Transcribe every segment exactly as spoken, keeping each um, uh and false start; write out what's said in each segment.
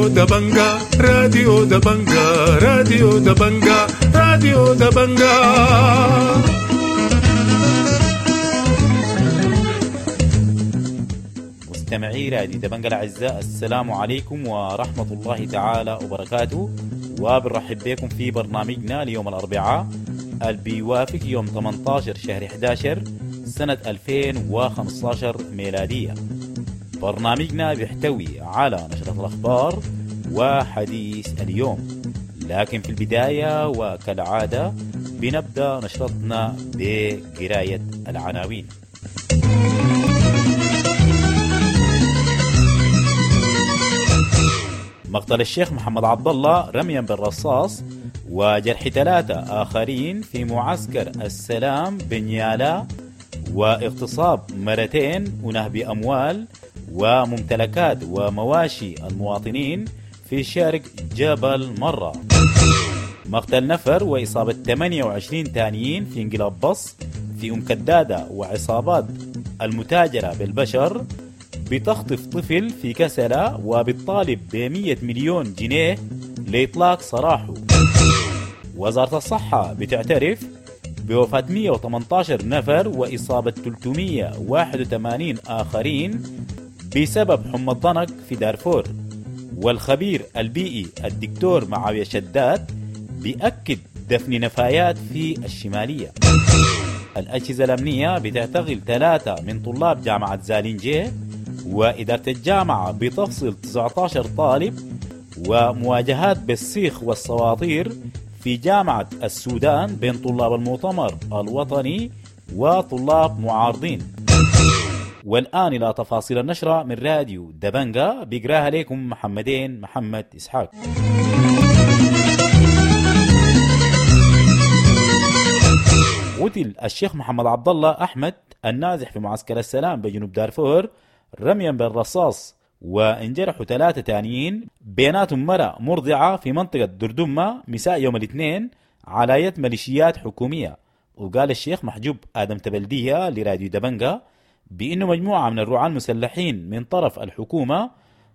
راديو دبنجا، راديو دبنجا، راديو دبنجا، راديو دبنجا. مستمعي راديو دبنجا الأعزاء، السلام عليكم ورحمة الله تعالى وبركاته، وبنرحب بكم في برنامجنا ليوم الأربعاء اللي بيوافق يوم ثمانية عشر شهر أحد عشر سنة ألفين وخمسة عشر ميلادية. برنامجنا بيحتوي على نشرة الأخبار وحديث اليوم، لكن في البداية وكالعادة بنبدأ نشرتنا بقراية العناوين. مقتل الشيخ محمد عبد الله رميا بالرصاص وجرح ثلاثة آخرين في معسكر السلام بنيالا، واغتصاب مرتين ونهب أموال وممتلكات ومواشي المواطنين في شرق جبل مرة. مقتل نفر وإصابة ثمانية وعشرين تانيين في انقلاب بص في أم كدادة، وعصابات المتاجرة بالبشر بتخطف طفل في كسلة وبتطالب بمية مليون جنيه لإطلاق سراحه. وزارة الصحة بتعترف بوفاة مئة وثمانية عشر نفر وإصابة ثلاثمئة وواحد وثمانين آخرين بسبب حمى الضنك في دارفور. والخبير البيئي الدكتور معاوية شداد بيأكد دفن نفايات في الشمالية. الأجهزة الأمنية بتعتقل ثلاثة من طلاب جامعة زالينجيه، وإدارة الجامعة بتفصل تسعة عشر طالب، ومواجهات بالسيخ والسواطير في جامعة السودان بين طلاب المؤتمر الوطني وطلاب معارضين. والآن إلى تفاصيل النشرة من راديو دبنجا، بيقراها لكم محمدين محمد إسحاق. قتل الشيخ محمد عبد الله أحمد النازح في معسكر السلام بجنوب دارفور رميا بالرصاص، وانجرحوا ثلاثة تانيين بيناتهم مرأة مرضعة في منطقة دردمة مساء يوم الاثنين على يد ميليشيات حكومية. وقال الشيخ محجوب آدم تبلدية لراديو دبنجا بأنه مجموعة من الرعاة المسلحين من طرف الحكومة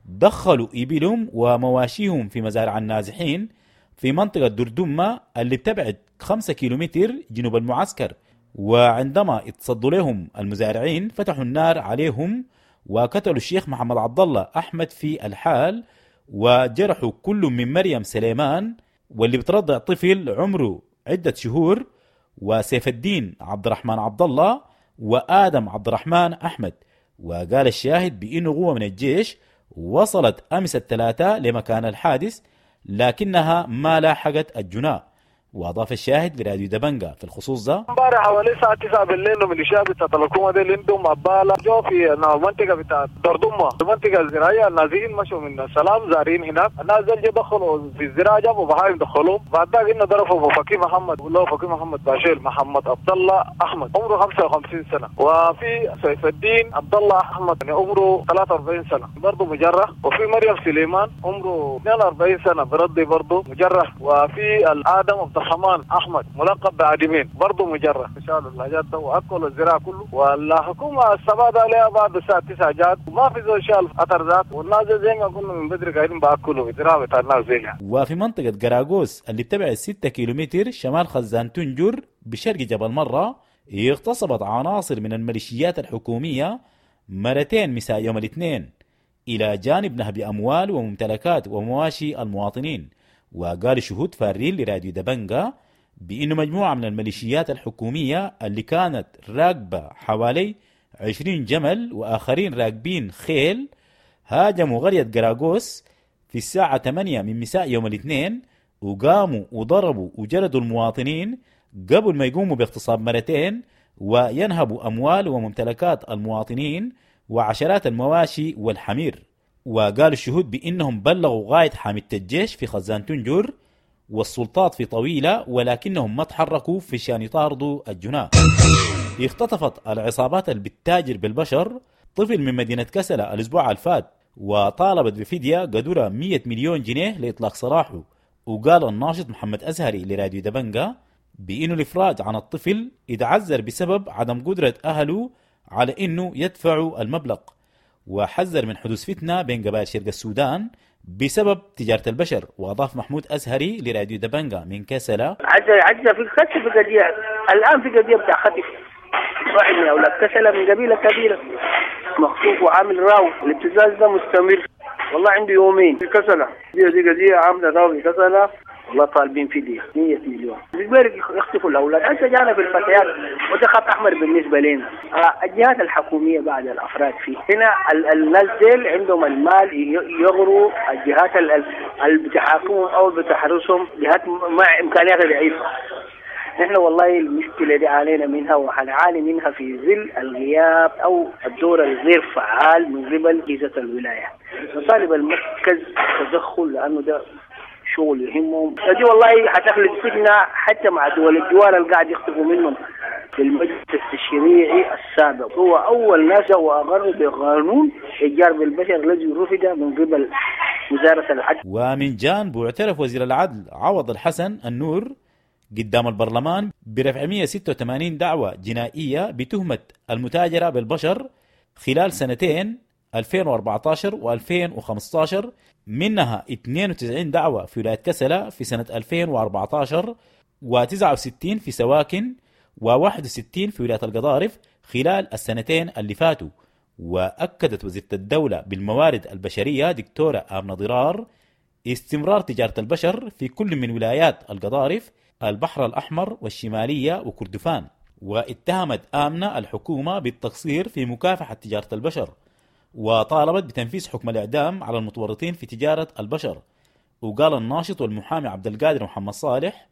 دخلوا إبلهم ومواشيهم في مزارع النازحين في منطقة دردمة اللي بتبعد خمسة كيلومتر جنوب المعسكر، وعندما اتصدوا لهم المزارعين فتحوا النار عليهم وقتلوا الشيخ محمد عبد الله أحمد في الحال، وجرحوا كل من مريم سليمان واللي بترضع طفل عمره عدة شهور، وسيف الدين عبد الرحمن عبد الله، وآدم عبد الرحمن أحمد. وقال الشاهد بأنه قوة من الجيش وصلت أمس الثلاثاء لمكان الحادث لكنها ما لاحقت الجناة. واضاف الشاهد لراديو دبنجا في الخصوص ده: امبارح حوالي الساعة تسعة بالليل ميليشيا بتاعت الحكومة دي اللي عندهم عباله جو في المنطقة بتاعت دردمه، المنطقة الزراعية، النازحين مشوا من السلام زارين هناك، الناس دول دخلوا في الزراعة جابوا بهايم دخلوهم، بعد ذاك انه ضربوا فقيه محمد والله فقيه محمد باشيل محمد عبد الله احمد عمره خمسة وخمسين سنة، وفي سيف الدين عبد الله احمد يعني عمره ثلاثة وأربعين سنة برضه مجرح، وفي مريم سليمان عمره اثنين وأربعين سنة برضه برضه مجرح، وفي الادم عبد الرحمن احمد ملقب بعدمين برضه مجرح. شالوا الحاجات ده واكلوا الزراعة كله، والحكومة السبعة عليها بعد الساعة تسعة جات وما في زول شال اثر ذات، والناس زي ما قلنا من بدري قاعدين باكلوا الزراعة بتاع الناس زي يعني. وفي منطقة قراقوس اللي تبعد ستة كيلومتر شمال خزان تنجر بشرق جبل مرة اغتصبت عناصر من الميليشيات الحكومية مرتين مساء يوم الاثنين، الى جانب نهب اموال وممتلكات ومواشي المواطنين. وقال شهود فارين لراديو دبنجا بأنه مجموعة من الميليشيات الحكومية اللي كانت راكبة حوالي عشرين جمل وآخرين راكبين خيل هاجموا قرية قراقوس في الساعة ثمانية من مساء يوم الاثنين، وقاموا وضربوا وجردوا المواطنين قبل ما يقوموا باغتصاب مرتين وينهبوا أموال وممتلكات المواطنين وعشرات المواشي والحمير. وقال الشهود بأنهم بلغوا غاية حامية الجيش في خزان تنجر والسلطات في طويلة، ولكنهم ما تحركوا في شان يطاردوا الجناة. اختطفت العصابات اللي بتتاجر بالبشر طفل من مدينة كسلة الأسبوع الفات، وطالبت بفدية قدرها مئة مليون جنيه لإطلاق سراحه. وقال الناشط محمد أزهري لراديو دبنجا بأنه الإفراج عن الطفل يتعذر بسبب عدم قدرة أهله على أنه يدفعوا المبلغ، وحذر من حدوث فتنة بين قبائل شرق السودان بسبب تجارة البشر. وأضاف محمود أزهري لراديو دبنجا من كسلا: عزة عزة في خسف في قضية الآن، في قضية بتاع خطف واحد من أولاد كسلا من قبيلة كبيرة مخطوف وعامل راو، الابتزاز ده مستمر والله عنده يومين في كسلة. دي دي قضية عاملة راو في كسلة والله طالبين فدية مية مليون بيقدروا يخطفوا الأولاد. هسه جانا في الفتيات وده خط أحمر بالنسبة لنا. آه الجهات الحكومية بعد الأفراد فيه هنا الناس ديل عندهم المال يغروا الجهات اللي بتحاكمهم أو بتحرسهم، جهات مع إمكانيات ضعيفة. نحن والله المشكلة دي علينا منها وحنعاني منها في ظل الغياب أو الدور الغير فعال من قبل أجهزة الولاية. نطالب المركز تدخل لأنه ده شغل يهمهم. دي والله حتخلق فتنة حتى مع دول الجوار اللي قاعد يخطفوا منهم. في المجلس التشريعي السابق هو أول ناس وأقر بقانون إيجار بالبشر الذي رفض من قبل وزارة العدل. ومن جانبه اعترف وزير العدل عوض الحسن النور قدام البرلمان برفع مئة وستة وثمانين دعوة جنائية بتهمة المتاجرة بالبشر خلال سنتين ألفين وأربعة عشر وألفين وخمسة عشر، منها اثنين وتسعين دعوة في ولاية كسلة في سنة ألفين وأربعة عشر، وتسعة وستين في سواكن، وواحد وستين في ولاية القضارف خلال السنتين اللي فاتوا. وأكدت وزيرة الدولة بالموارد البشرية دكتورة آمنة ضرار استمرار تجارة البشر في كل من ولايات القضارف، البحر الأحمر والشمالية وكردفان. واتهمت آمنة الحكومة بالتقصير في مكافحة تجارة البشر، وطالبت بتنفيذ حكم الإعدام على المتورطين في تجارة البشر. وقال الناشط والمحامي عبد القادر محمد صالح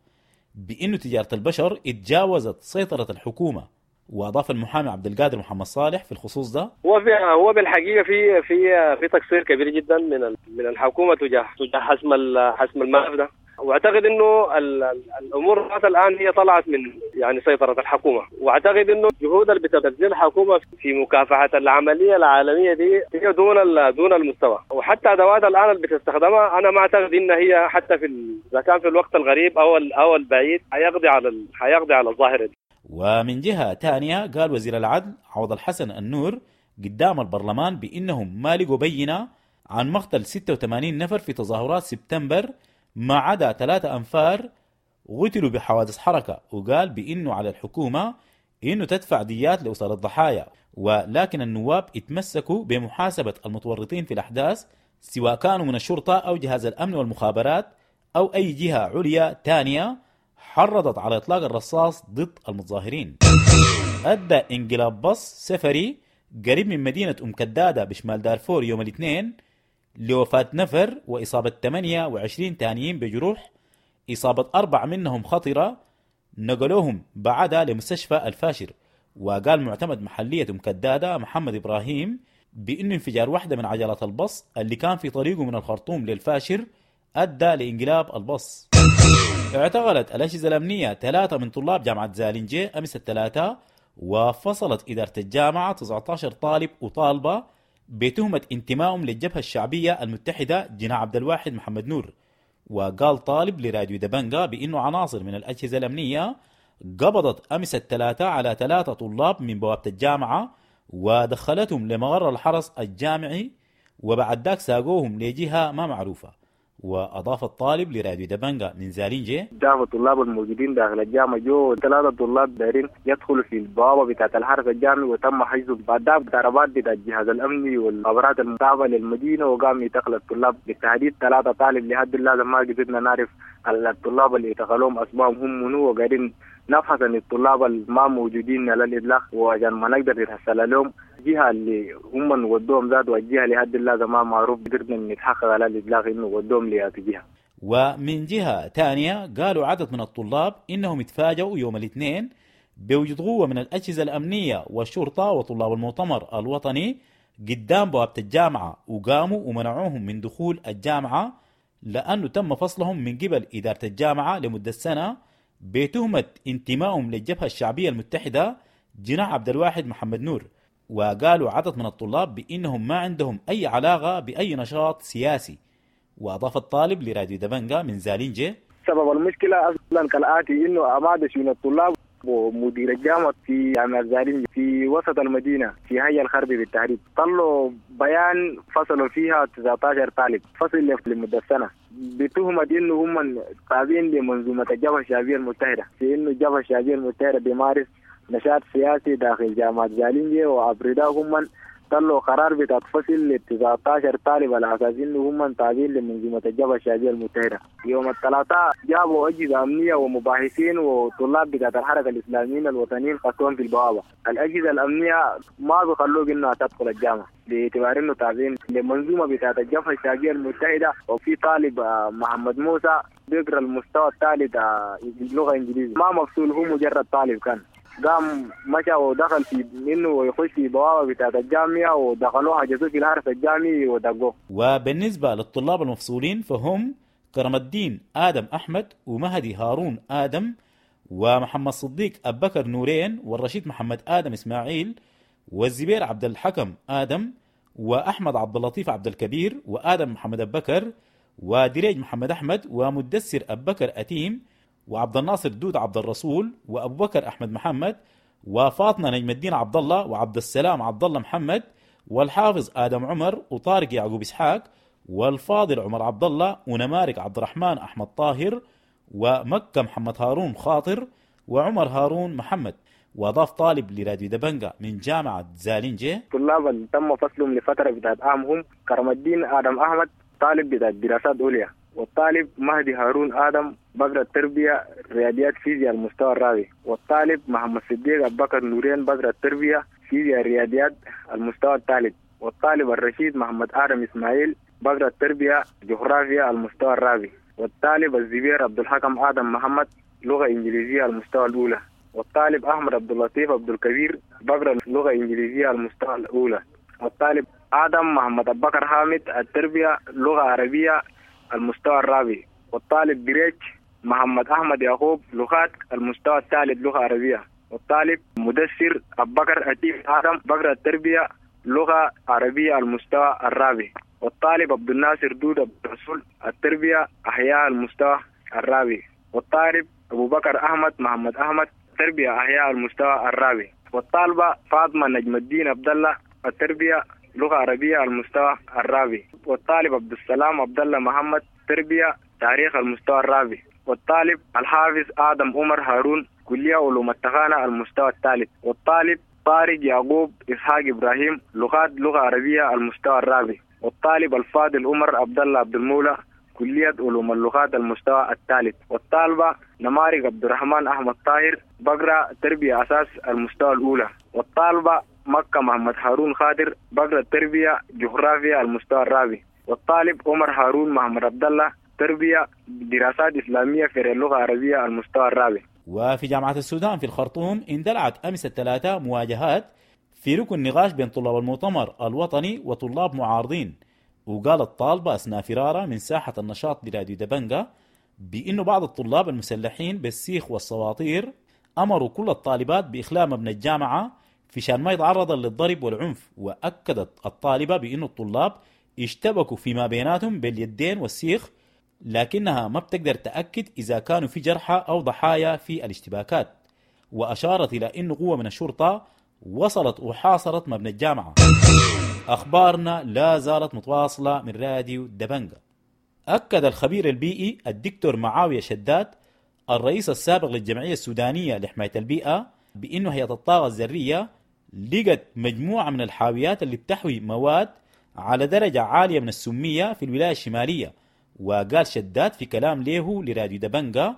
بأن تجارة البشر اتجاوزت سيطرة الحكومة. وأضاف المحامي عبد القادر محمد صالح في الخصوص ده: هو في هو بالحقيقة في في في تقصير كبير جدا من من الحكومة تجاه تجاه حسم حسم الملف ده، واعتقد انه الامور الان هي طلعت من يعني سيطرة الحكومة، واعتقد انه الجهود اللي بتبذلها الحكومة في مكافحة العملية العالمية دي هي دون دون المستوى، وحتى ادوات الان اللي بتستخدمها انا ما اعتقد ان هي حتى في اذا كان في الوقت الغريب او او البعيد حيقضي على حيقضي على الظاهرة دي. ومن جهة ثانية قال وزير العدل عوض الحسن النور قدام البرلمان بانهم ما لقوا بينه عن مقتل ستة وثمانين نفر في تظاهرات سبتمبر ما عدا ثلاثة أنفار قتلوا بحوادث حركة، وقال بأنه على الحكومة إنه تدفع ديات لأسر الضحايا، ولكن النواب اتمسكوا بمحاسبة المتورطين في الأحداث سواء كانوا من الشرطة أو جهاز الأمن والمخابرات أو أي جهة عليا تانية حرضت على إطلاق الرصاص ضد المتظاهرين. أدى انقلاب بص سفري قريب من مدينة أم كدادة بشمال دارفور يوم الاثنين لوفاة نفر وإصابة ثمانية وعشرين تانيين بجروح، إصابة أربع منهم خطرة نقلوهم بعدها لمستشفى الفاشر. وقال معتمد محلية أم كدادة محمد إبراهيم بأنه انفجار واحدة من عجلات البص اللي كان في طريقه من الخرطوم للفاشر أدى لانقلاب البص. اعتقلت الأجهزة الأمنية ثلاثة من طلاب جامعة زالنجي أمس الثلاثاء، وفصلت إدارة الجامعة تسعة عشر طالب وطالبة بتهمة انتمائهم للجبهة الشعبية المتحدة جناح عبد الواحد محمد نور. وقال طالب لراديو دبنجا بأنه عناصر من الأجهزة الأمنية قبضت أمس الثلاثاء على ثلاثة طلاب من بوابة الجامعة ودخلتهم لمغر الحرس الجامعي، وبعد ذاك ساقوهم لجهة ما معروفة. وأضاف الطالب لراديو دبنجا من زالينجي: دافع الطلاب الموجودين داخل الجامعة جو ثلاثة طلاب دايرين يدخلوا في البوابة بتاعة الحرس الجامعي، وتم حجزهم بعد ذاك ضربات بتاع الجهاز الأمني والمخابرات المتابعة للمدينة، وقام يتقل الطلاب بالتحديد ثلاثة طالب. لحد اللحظة ما قدرنا نعرف الطلاب اللي اعتقلوهم أسمائهم هم منو، وقاعدين نبحث عن الطلاب اللي ما موجودين على الإطلاق، وعشان ما نقدر نتحصل لهم الجهة اللي هم ودوهم ذات، والجهة لحد اللحظة ما معروف قدرنا نتحقق على الإطلاق إنه ودوهم لأي جهة. ومن جهة ثانية قالوا عدد من الطلاب إنهم اتفاجؤوا يوم الاثنين بوجود قوة من الأجهزة الأمنية والشرطة وطلاب المؤتمر الوطني قدام بوابة الجامعة، وقاموا ومنعوهم من دخول الجامعة لأنه تم فصلهم من قبل إدارة الجامعة لمدة سنة بتهمة انتمائهم للجبهة الشعبية المتحدة جناح عبد الواحد محمد نور. وقالوا عدد من الطلاب بأنهم ما عندهم أي علاقة بأي نشاط سياسي. وأضاف الطالب لراديو دبنجا من زالينجي: سبب المشكلة أصلا كالآتي، إنه أمادش من الطلاب ومدير الجامعة في جامعة زالينجي في وسط المدينة في حي الخربي بالتحديد طلعوا بيان فصلوا فيها تسعة عشر طالب فصل لمدة سنة بتهمة إنه هم تابعين لمنظومة الجبهة الشعبية المتحدة، في إنه الجبهة الشعبية المتحدة بيمارس نشاط سياسي داخل جامعة زالينجي، وعبر ده هم طلعوا قرار بتاع فصل ل تسعة عشر طالب على اساس انه هم تابعين لمنظومه الجبهة الشعبية المتحدة. يوم الثلاثاء جابوا اجهزة امنية ومباحثين وطلاب بتاعت الحركة الاسلاميين الوطنيين خطوهم في البوابة. الاجهزة الامنية ما بيخلوك انها تدخل الجامعة باعتبار انه تابعين لمنظومه بتاعت الجبهة الشعبية المتحدة. وفي طالب محمد موسى بيقرا المستوى الثالث لغة انجليزية ما مفصول، هو مجرد طالب كان قام مشى ودخل في منه ويخش في بوابة بتاعت الجامعة ودخلوه حجزوه في الحرس الجامعي ودقوه. وبالنسبة للطلاب المفصولين فهم كرم الدين آدم أحمد ومهدي هارون آدم ومحمد صديق أبكر نورين والرشيد محمد آدم إسماعيل والزبير عبد الحكم آدم وأحمد عبد اللطيف عبد الكبير وآدم محمد أبكر ودريج محمد أحمد ومدسر أبكر أتيم وعبد الناصر دود عبد الرسول وأبو بكر أحمد محمد وفاطمة نجم الدين عبد الله وعبد السلام عبد الله محمد والحافظ آدم عمر وطارق يعقوب إسحاق والفاضل عمر عبد الله ونمارك عبد الرحمن أحمد طاهر ومكة محمد هارون خاطر وعمر هارون محمد. وأضاف طالب لراديو دبنجا من جامعة زالينجي: الطلاب اللي تم فصلهم لفترة بتاعت عام هم كرم الدين آدم أحمد طالب بتاع دراسات عليا، والطالب مهدي هارون آدم بقرا التربية رياضيات فيزياء المستوى الرابع، والطالب محمد صديق أبو بكر نورين بقرا التربية فيزياء رياضيات المستوى الثالث، والطالب الرشيد محمد آدم إسماعيل بقرا التربية جغرافيا المستوى الرابع، والطالب الزبير عبد الحكم آدم محمد لغة إنجليزية المستوى الأولى، والطالب أحمد عبد اللطيف عبد الكبير بقرا لغة إنجليزية المستوى الأولى، والطالب آدم محمد أبو بكر حامد التربية لغة عربية المستوى الرابع، والطالب بريك محمد أحمد يعقوب لغات المستوى الثالث لغة عربية، والطالب مدثر أبو بكر أتيف آدم بقرا التربية لغة عربية المستوى الرابع، والطالب عبد الناصر دود عبد الرسول التربية أحياء المستوى الرابع، والطالب أبو بكر أحمد محمد أحمد تربية أحياء المستوى الرابع، والطالبة فاطمة نجم الدين عبد الله التربية لغة عربية المستوى الرابع، والطالب عبد السلام عبد الله محمد تربية تاريخ المستوى الرابع، والطالب الحافظ آدم عمر هارون كلية علوم التقانة المستوى الثالث، والطالب طارق يعقوب إسحاق إبراهيم لغات لغة عربية المستوى الرابع، والطالب الفاضل عمر عبد الله عبد المولى كلية علوم اللغات المستوى الثالث، والطالبة نمارق عبد الرحمن أحمد طاهر بقرأ تربية أساس المستوى الأولى، والطالبة مكة محمد هارون خاطر بقرأ التربية جغرافيا المستوى الرابع، والطالب عمر هارون محمد عبد الله تربية دراسات إسلامية في اللغة العربية المستوى الرابع. وفي جامعة السودان في الخرطوم اندلعت أمس الثلاثاء مواجهات في ركن نقاش بين طلاب المؤتمر الوطني وطلاب معارضين. وقال الطالبة أثناء فرارة من ساحة النشاط لراديو دبنجا بأنه بعض الطلاب المسلحين بالسيخ والسواطير أمروا كل الطالبات بإخلاء مبنى الجامعة في شان ما يتعرض للضرب والعنف. وأكدت الطالبة بأن الطلاب اشتبكوا فيما بيناتهم باليدين والسيخ، لكنها ما بتقدر تأكد إذا كانوا في جرحى أو ضحايا في الاشتباكات. وأشارت إلى أن قوة من الشرطة وصلت وحاصرت مبنى الجامعة. أخبارنا لا زالت متواصلة من راديو دبنجا. أكد الخبير البيئي الدكتور معاوية شداد الرئيس السابق للجمعية السودانية لحماية البيئة بأنه هيئة الطاقة الذرية لقت مجموعة من الحاويات اللي بتحوي مواد على درجة عالية من السمية في الولاية الشمالية. وقال شداد في كلام له لراديو دبنجا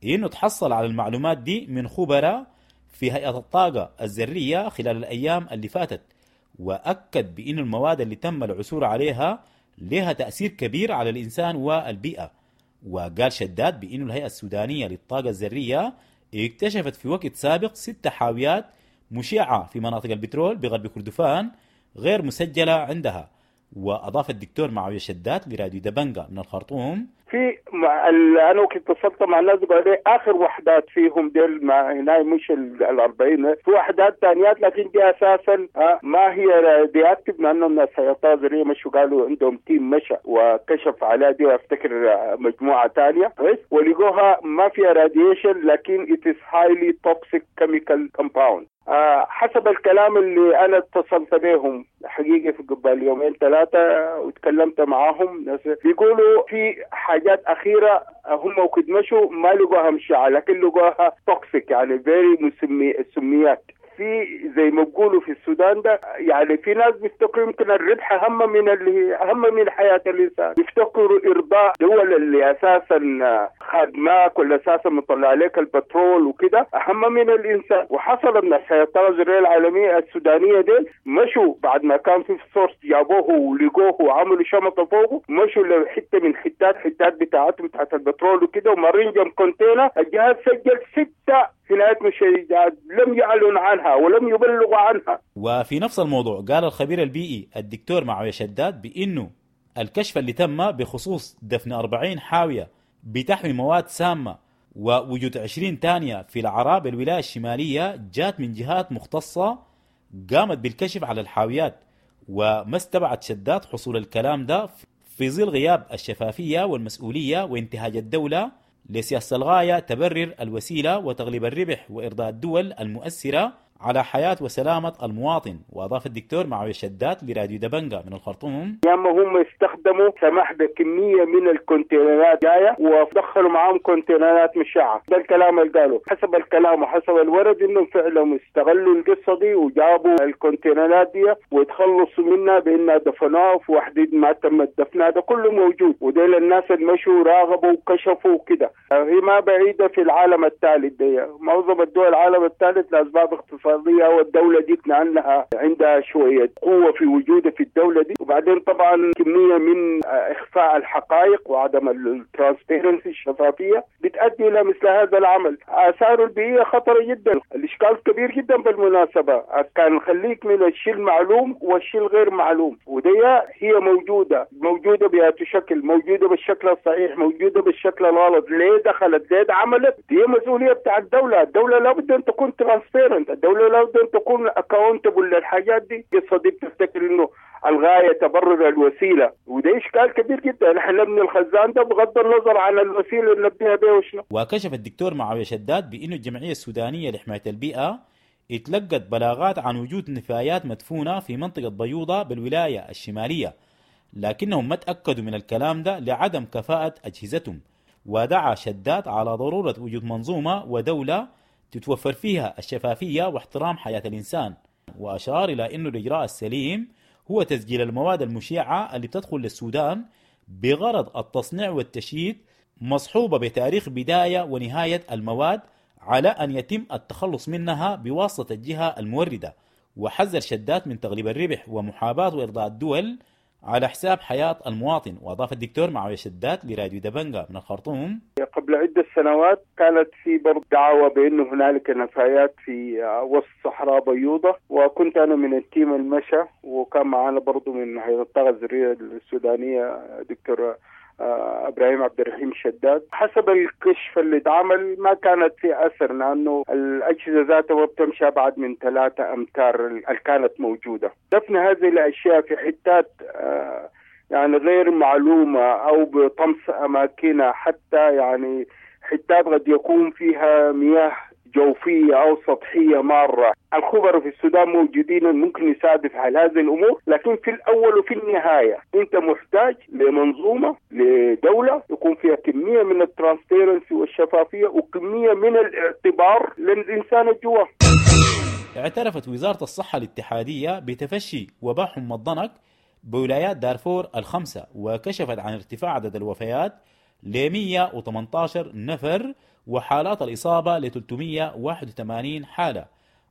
إنه تحصل على المعلومات دي من خبراء في هيئة الطاقة الذرية خلال الأيام اللي فاتت. وأكد بأن المواد اللي تم العثور عليها لها تأثير كبير على الإنسان والبيئة. وقال شداد بأن الهيئة السودانية للطاقة الذرية اكتشفت في وقت سابق ست حاويات مشعة في مناطق البترول بغرب كردفان غير مسجلة عندها. وأضاف الدكتور معاوية شداد لراديو دبنجا من الخرطوم: في مع ال... انا وقت اتصلت مع الناس قالوا لي اخر وحدات فيهم ديل ما هنا مش ال أربعين، في وحدات ثانيات لكن دي اساسا ما هي radioactive، لانه الناس الطاقة الذرية مشوا قالوا عندهم team مشى وكشف عليها دي، وافتكر مجموعة ثانية كويس، ولقوها ما فيها radiation لكن it is highly toxic chemical compound. آه حسب الكلام اللي انا اتصلت بهم حقيقة في قبل يومين ثلاثة وتكلمت معاهم، ناس بيقولوا في حاجات اخيرة هم وقت مشوا ما لقوها مشعه لكن لقوها toxic، يعني very مسمي السميات في زي ما بيقولوا في السودان ده. يعني في ناس بيفتكروا يمكن الربح اهم من اللي اهم من حياة الانسان، بيفتكروا ارضاء دول اللي اساسا خادماك ولا اساسا مطلع عليك البترول وكده اهم من الانسان. وحصل ان الطاقة الذرية العالمية السودانية ديل مشوا بعد ما كان في source جابوه ولقوه وعملوا شمطه فوقه، مشوا لحته من حتات حتات بتاعتهم بتاعت البترول وكده، ومارين جنب container الجهاز سجل ستة هناك مشيدات لم يعلن عنها ولم يبلغوا عنها. وفي نفس الموضوع قال الخبير البيئي الدكتور معاوية شداد بأنه الكشف اللي تم بخصوص دفن أربعين حاوية بتحوي مواد سامة ووجود عشرين تانية في العراء بالولاية الشمالية جات من جهات مختصة قامت بالكشف على الحاويات، وما استبعد شداد حصول الكلام ده في ظل غياب الشفافية والمسؤولية وانتهاج الدولة لسياسة الغاية تبرر الوسيلة وتغليب الربح وإرضاء الدول المؤثرة على حياة وسلامة المواطن. وأضاف الدكتور معاوية شداد لراديو دبنجا من الخرطوم: يا اما هم استخدموا سماح بكمية من الكونتينرات جاية ودخلوا معاهم كونتينرات مشعة، ده الكلام اللي قالوا حسب الكلام وحسب الورد انهم فعلا استغلوا القصة دي وجابوا الكونتينرات دي وتخلصوا منها بانها دفنوها في وحدة ما تم دفنها، ده كله موجود. وديل الناس اللي مشوا راغبوا وكشفوا وكده. هي ما بعيدة في العالم الثالث دي، معظم الدول العالم الثالث لأسباب اقتصادية، والدولة دي لأنها عندها شوية قوة في وجودها في الدولة دي، وبعدين طبعا كمية من إخفاء الحقائق وعدم ال transparency الشفافية بتؤدي إلى مثل هذا العمل. آثاره البيئية خطرة جدا، الإشكال كبير جدا بالمناسبة، كان خليك من الشيء المعلوم والشيء الغير معلوم، ودي هي موجودة موجودة بأي شكل، موجودة بالشكل الصحيح، موجودة بالشكل الغلط، ليه دخلت ليه عملت، دي مسؤولية بتاع الدولة. الدولة لابد أن تكون transparent، الدولة لابد أن تكون accountable للحاجات دي. القصة دي بتفتكر إنه الغاية تبرر الوسيلة، وده إشكال كبير جدا. نحن نبني الخزان ده بغض النظر عن الوسيلة اللي نبنيها بها وشنو. وكشف الدكتور معاوية شداد بأنه الجمعية السودانية لحماية البيئة اتلقت بلاغات عن وجود نفايات مدفونة في منطقة بيوضة بالولاية الشمالية، لكنهم ما تأكدوا من الكلام ده لعدم كفاءة أجهزتهم. ودعا شداد على ضرورة وجود منظومة ودولة تتوفر فيها الشفافية واحترام حياة الإنسان، وأشار إلى أنه الإجراء السليم هو تسجيل المواد المشعة اللي بتدخل للسودان بغرض التصنيع والتشييد، مصحوبة بتاريخ بداية ونهاية المواد على أن يتم التخلص منها بواسطة الجهة الموردة. وحذر شداد من تغليب الربح ومحاباة وإرضاء الدول على حساب حياة المواطن. وأضاف الدكتور معاوية شداد لراديو دبنجا من الخرطوم: قبل عدة سنوات كانت في برضه دعوة بأنه هنالك نفايات في وسط صحراء بيوضة، وكنت أنا من ال team المشى، وكان معنا برضه من هيئة الطاقة الذرية السودانية دكتور ابراهيم عبد الرحيم شداد. حسب الكشف اللي اتعمل ما كانت في اثر، لانه الاجهزة ذاتها ما بتمشي ابعد من ثلاثة امتار اللي كانت موجودة. دفن هذه الاشياء في حتات يعني غير معلومة او بطمس اماكنها، حتى يعني حتات قد يكون فيها مياه جوفية أو سطحية مارة. الخبراء في السودان موجودين ممكن يساعدوا في حل هذه الأمور، لكن في الأول وفي النهاية أنت محتاج لمنظومة، لدولة يكون فيها كمية من ال transparency والشفافية وكمية من الاعتبار للإنسان الجوا. اعترفت وزارة الصحة الاتحادية بتفشي وباء حمى الضنك بولايات دارفور الخمسة، وكشفت عن ارتفاع عدد الوفيات ل مئة وثمانية عشر نفر وحالات الإصابة ل ثلاثمئة وواحد وثمانين حالة.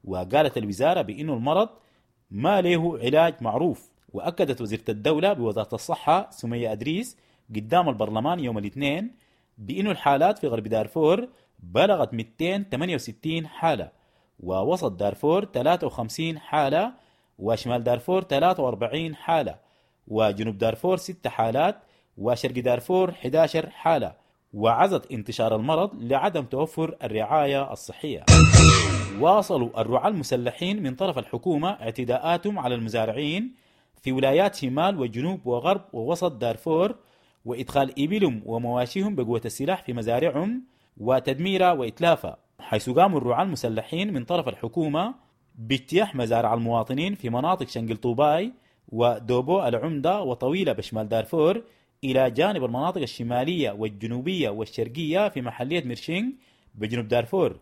وقالت الوزارة بأن المرض ما له علاج معروف. وأكدت وزيرة الدولة بوزارة الصحة سمية أدريس قدام البرلمان يوم الاثنين بأن الحالات في غرب دارفور بلغت مئتين وثمانية وستين حالة، ووسط دارفور ثلاثة وخمسين حالة، وشمال دارفور ثلاثة وأربعين حالة، وجنوب دارفور ست حالات، وشرق دارفور إحدى عشرة حالة. وعزت انتشار المرض لعدم توفر الرعاية الصحية. واصلوا الرعاة المسلحين من طرف الحكومة اعتداءاتهم على المزارعين في ولايات شمال وجنوب وغرب ووسط دارفور، وإدخال إبلهم ومواشيهم بقوة السلاح في مزارعهم وتدميرها وإتلافها، حيث قاموا الرعاة المسلحين من طرف الحكومة باجتياح مزارع المواطنين في مناطق شنقل طوباي ودوبو العمدة وطويلة بشمال دارفور، إلى جانب المناطق الشمالية والجنوبية والشرقية في محلية مرشينغ بجنوب دارفور.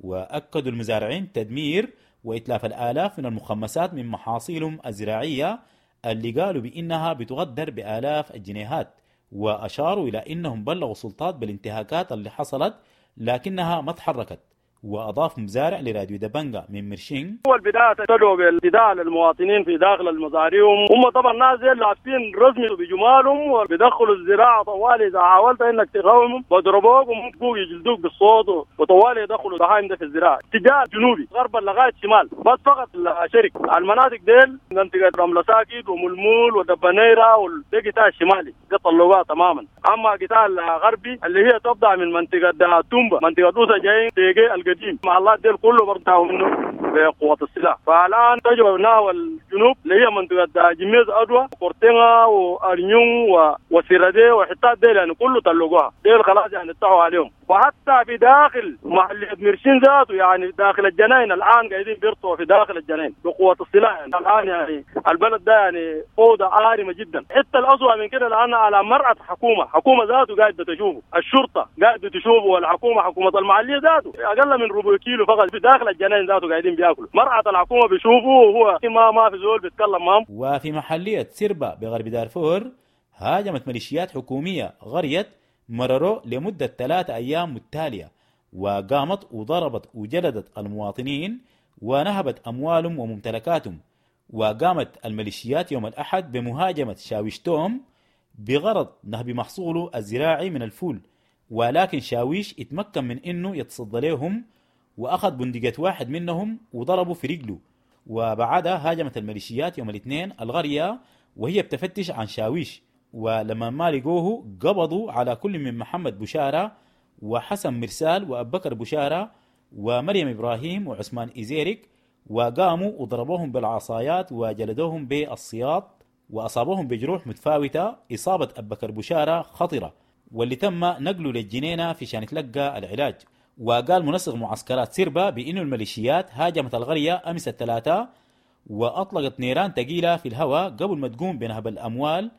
وأكدوا المزارعين تدمير وإتلاف الآلاف من المخمسات من محاصيلهم الزراعية اللي قالوا بإنها بتقدر بآلاف الجنيهات، وأشاروا إلى إنهم بلغوا السلطات بالانتهاكات اللي حصلت لكنها ما تحركت. وأضاف مزارع لراديو دبنجا من مرشينغ: أول بداية ابتدوا بالابتداء للمواطنين في داخل المزارعهم، هم طبعا ناس لابسين رسمي بجمالهم وبيدخلوا الزراعة طوالي، إذا حاولت إنك تقاومهم بضربوك وممكن يجلدوك بالصوت، وطوالي يدخلوا البهايم ده في الزراعة اتجاه جنوبي غربا لغاية شمال، بس فقط الشرق المناطق ديل منطقة رملة ساكت وملمول ودبنيرة وده قطاع الشمالي ده طلعوها تماما. أما قطاع الغربي اللي هي تبدأ من منطقة تومبا منطقة دوسة جايين تيجي القديم مع الله ديل كله برتاحوا منه بقوة السلاح. فالآن تجربة نحو الجنوب اللي هي منطقة جميز أدوى وكورتينا وأرنيون وسيرادي وحتات ديل يعني كله طلقوها ديل خلاص يعني اتحوا عليهم. وحتى في داخل محلية مرشين ذاته يعني داخل الجناين الآن قاعدين بيرطوا في داخل الجناين بقوة السلاح. يعني الآن يعني البلد ده يعني فوضى عارمة جدا. حتى الأسوأ من كده الآن على مرأة حكومة حكومة ذاته قاعدة تشوفه، الشرطة قاعدة تشوفه، والحكومة حكومة المحلية ذاته أقل من ربع كيلو فقط في داخل الجناين ذاته قاعدين بياكلوا، مرأة الحكومة بيشوفه وهو ما ما في زول بيتكلم معهم. وفي محلية سيربا بغرب دارفور هاجمت ميليشيات حكومية غرية مرروا لمدة ثلاثة أيام متتالية، وقامت وضربت وجلدت المواطنين ونهبت أموالهم وممتلكاتهم. وقامت الميليشيات يوم الأحد بمهاجمة شاويش توم بغرض نهب محصوله الزراعي من الفول، ولكن شاويش اتمكن من إنه يتصدى لهم وأخذ بندقية واحد منهم وضربه في رجله. وبعدها هاجمت الميليشيات يوم الاثنين الغرية وهي بتفتش عن شاويش، ولما ما لقوه قبضوا على كل من محمد بشارة وحسن مرسال وأبكر بشارة ومريم إبراهيم وعثمان إزيرك، وقاموا وضربوهم بالعصايات وجلدوهم بالسياط وأصابوهم بجروح متفاوتة. إصابة أبكر بشارة خطرة واللي تم نقله للجنينة في شان يتلقى العلاج. وقال منسق معسكرات سيربا بأن الميليشيات هاجمت القرية أمس الثلاثاء وأطلقت نيران ثقيلة في الهواء قبل ما تقوم بنهب الأموال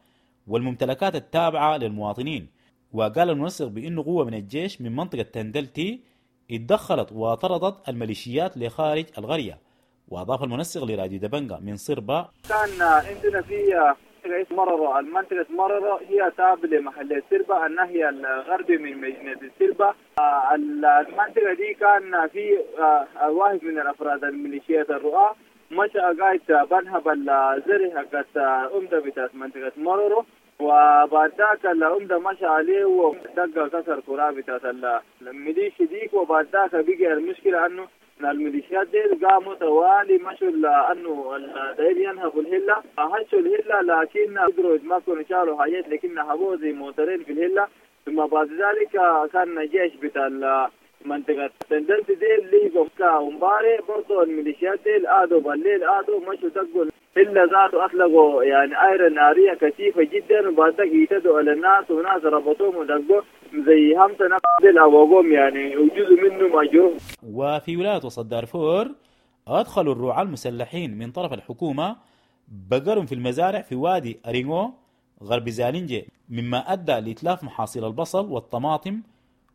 والممتلكات التابعة للمواطنين. وقال المنسق بأنه قوة من الجيش من منطقة تندلتي اتدخلت وطردت الميليشيات لخارج القرية. وأضاف المنسق لراديو دبنجا من صربا: كان عندنا في مررة، المنطقة مررة هي تابعة لمحلية سربا الناحية الغربي من مدينة سربا. المنطقة دي كان في واحد من الأفراد الميليشيات الرؤى مشى قاعد بنهب الزرع حقت أمدة بتاعت منطقة مررة، وبعد ذاك الأمدة مشى عليه ودق كسر كرة بتاعت الميليشيا ديك. وبعد ذاك بقي المشكلة أنه الميليشيات دي قاموا طوالي مشوا لأنه داير ينهبوا الهلة، هشوا الهلة لكن قدروا يتمكنوا شالوا حاجات لكن نهبوه زي موترين في الهلة. ثم بعد ذلك كان جيش بتاع منطقة تندلت دي اللي ومباري برضو الميليشيات دي آدوا بالليل آدوا مشوا دقوا الهلة ذاته، أطلقوا يعني آيرة نارية كثيفة جدا، وبعد ذلك يتدوا على الناس وناس ربطوهم ودقوا زي همسة نفس أبوهم يعني وجزء منه مجروح. وفي ولاية وسط دارفور أدخلوا الرعاة المسلحين من طرف الحكومة بقرهم في المزارع في وادي أرينغو غرب زالنجي، مما أدى لإتلاف محاصيل البصل والطماطم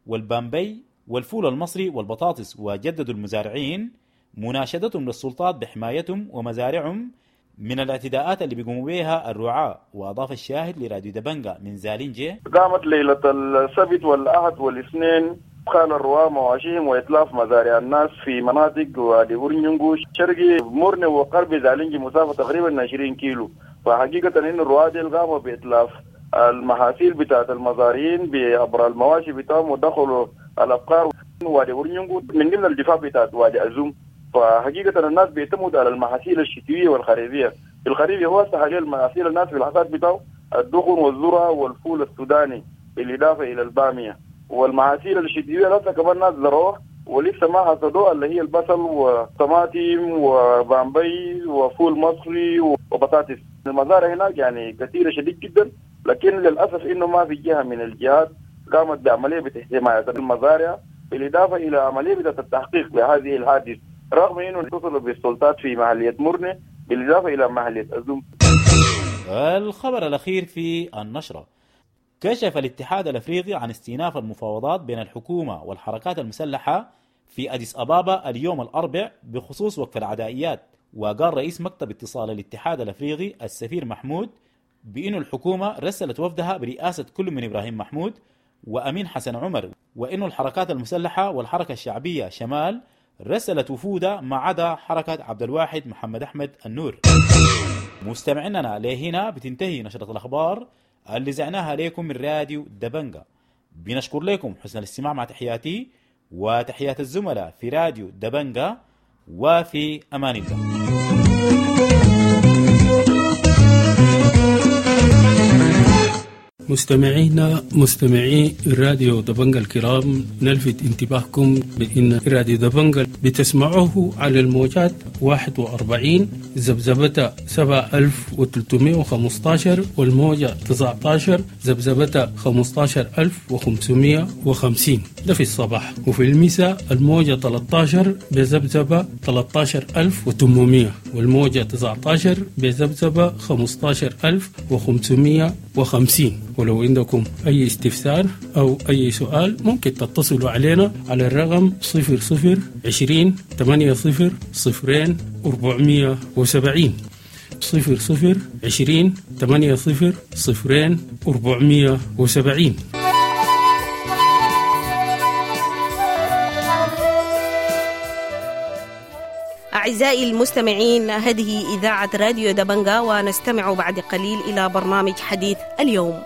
والبامبي والفول المصري والبطاطس. وجددوا المزارعين مناشدتهم للسلطات بحمايتهم ومزارعهم من الاعتداءات اللي بيقوموا بها الرعاة. وأضاف الشاهد لراديو دبنجا من زالنجي: قامت ليلة السبت والأحد والاثنين خال الرعاة مواشيهم وإتلاف مزارع الناس في مناطق وادي أورنيونغو شرقي مورني وغرب زالنجي مسافة تقريبا عشرين كيلو. فحقيقة إن الرعاة دي قاموا بإتلاف المحاصيل بتاعت المزارعين بعبر المواشي بتاعهم ودخلوا الأبقار وادي أورنيونغو من ضمن الدفاع بتاعت وادي أزوم. فحقيقة الناس بيعتمدوا على المحاصيل الشتوية والخريفية. في الخريف هو حاليا المحاصيل الناس في الحصاد بتاعه الدخن والذرة والفول السوداني بالإضافة إلى البامية والمحاصيل الشتوية. لسه كمان ناس زرعوها ولسه ما حصدوها اللي هي البصل وطماطم وبامبي وفول مصري وبطاطس. المزارع هناك يعني كثيرة شديد جدا، لكن للأسف إنه ما في جهة من الجهات قامت بعملية بحماية المزارع بالإضافة إلى عملية التحقيق بهذه الحادث، رغم إنه اتصلوا بالسلطات في محلية مرنة بالإضافة إلى محلية أزوم. الخبر الأخير في النشرة: كشف الاتحاد الأفريقي عن استئناف المفاوضات بين الحكومة والحركات المسلحة في أديس أبابا اليوم الأربع بخصوص وقف العدائيات. وقال رئيس مكتب اتصال الاتحاد الأفريقي السفير محمود بأن الحكومة رسلت وفدها برئاسة كل من إبراهيم محمود وأمين حسن عمر، وأن الحركات المسلحة والحركة الشعبية شمال رسلت وفودها ما عدا حركة عبد الواحد محمد أحمد النور. مستمعينا لهنا بتنتهي نشرة الأخبار اللي زعناها لكم من راديو دبنجا. بنشكر لكم حسن الاستماع، مع تحياتي وتحيات الزملاء في راديو دبنجا، وفي أمان الله. مستمعينا مستمعي راديو دبنجا الكرام، نلفت انتباهكم بأن راديو دبنجا بتسمعوه على الموجات واحد وأربعين ذبذبة سبعة ألف وثلاثمائة وخمسة عشر والموجة تسعة عشر ذبذبة خمسة عشر ألف وخمسمائة وخمسين، ده في الصباح، وفي المساء الموجة ثلاثة عشر بذبذبة ثلاثة عشر ألف وثمانمائة والموجة تسعة عشر بذبذبة خمسة عشر ألف وخمسمائة وخمسين. ولو عندكم أي استفسار أو أي سؤال ممكن تتصلوا علينا على الرقم صفر صفر عشرين ثمانية صفر صفرين أربعمية وسبعين، صفر صفر عشرين ثمانية صفر صفرين أربعمية وسبعين. أعزائي المستمعين، هذه إذاعة راديو دبنجا، ونستمع بعد قليل إلى برنامج حديث اليوم.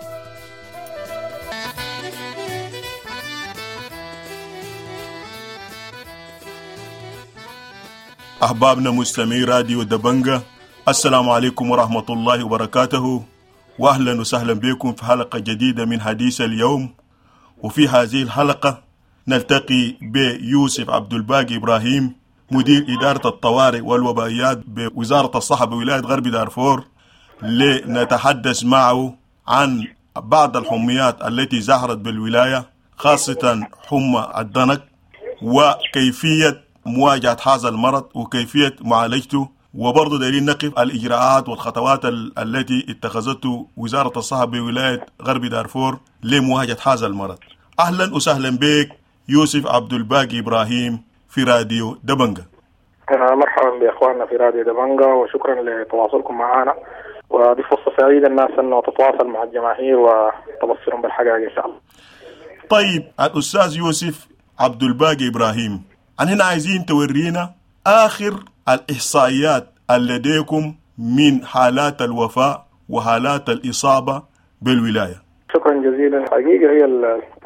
أحبابنا مستمعي راديو دبنجا، السلام عليكم ورحمة الله وبركاته، وأهلا وسهلا بكم في حلقة جديدة من حديث اليوم. وفي هذه الحلقة نلتقي بيوسف عبد الباقي إبراهيم، مدير إدارة الطوارئ والوبائيات بوزارة الصحة بولاية غرب دارفور، لنتحدث معه عن بعض الحميات التي ظهرت بالولاية، خاصة حمى الضنك، وكيفية مواجهة هذا المرض وكيفية معالجته، وبرضه دايرين نقف الإجراءات والخطوات التي اتخذته وزارة الصحة بولاية غرب دارفور لمواجهة هذا المرض. أهلا وسهلا بك يوسف عبد الباقي إبراهيم في راديو دبنجا. مرحبا بإخواننا في راديو دبنجا، وشكرا لتواصلكم معنا، ودي فرصة سعيدة الناس أنه تتواصل مع الجماهير وتبصرهم بالحقائق إن شاء الله. طيب الأستاذ يوسف عبد الباقي إبراهيم، عن هنا عايزين تورينا آخر الإحصائيات لديكم من حالات الوفاة وحالات الإصابة بالولاية. شكرا جزيلا. حقيقة هي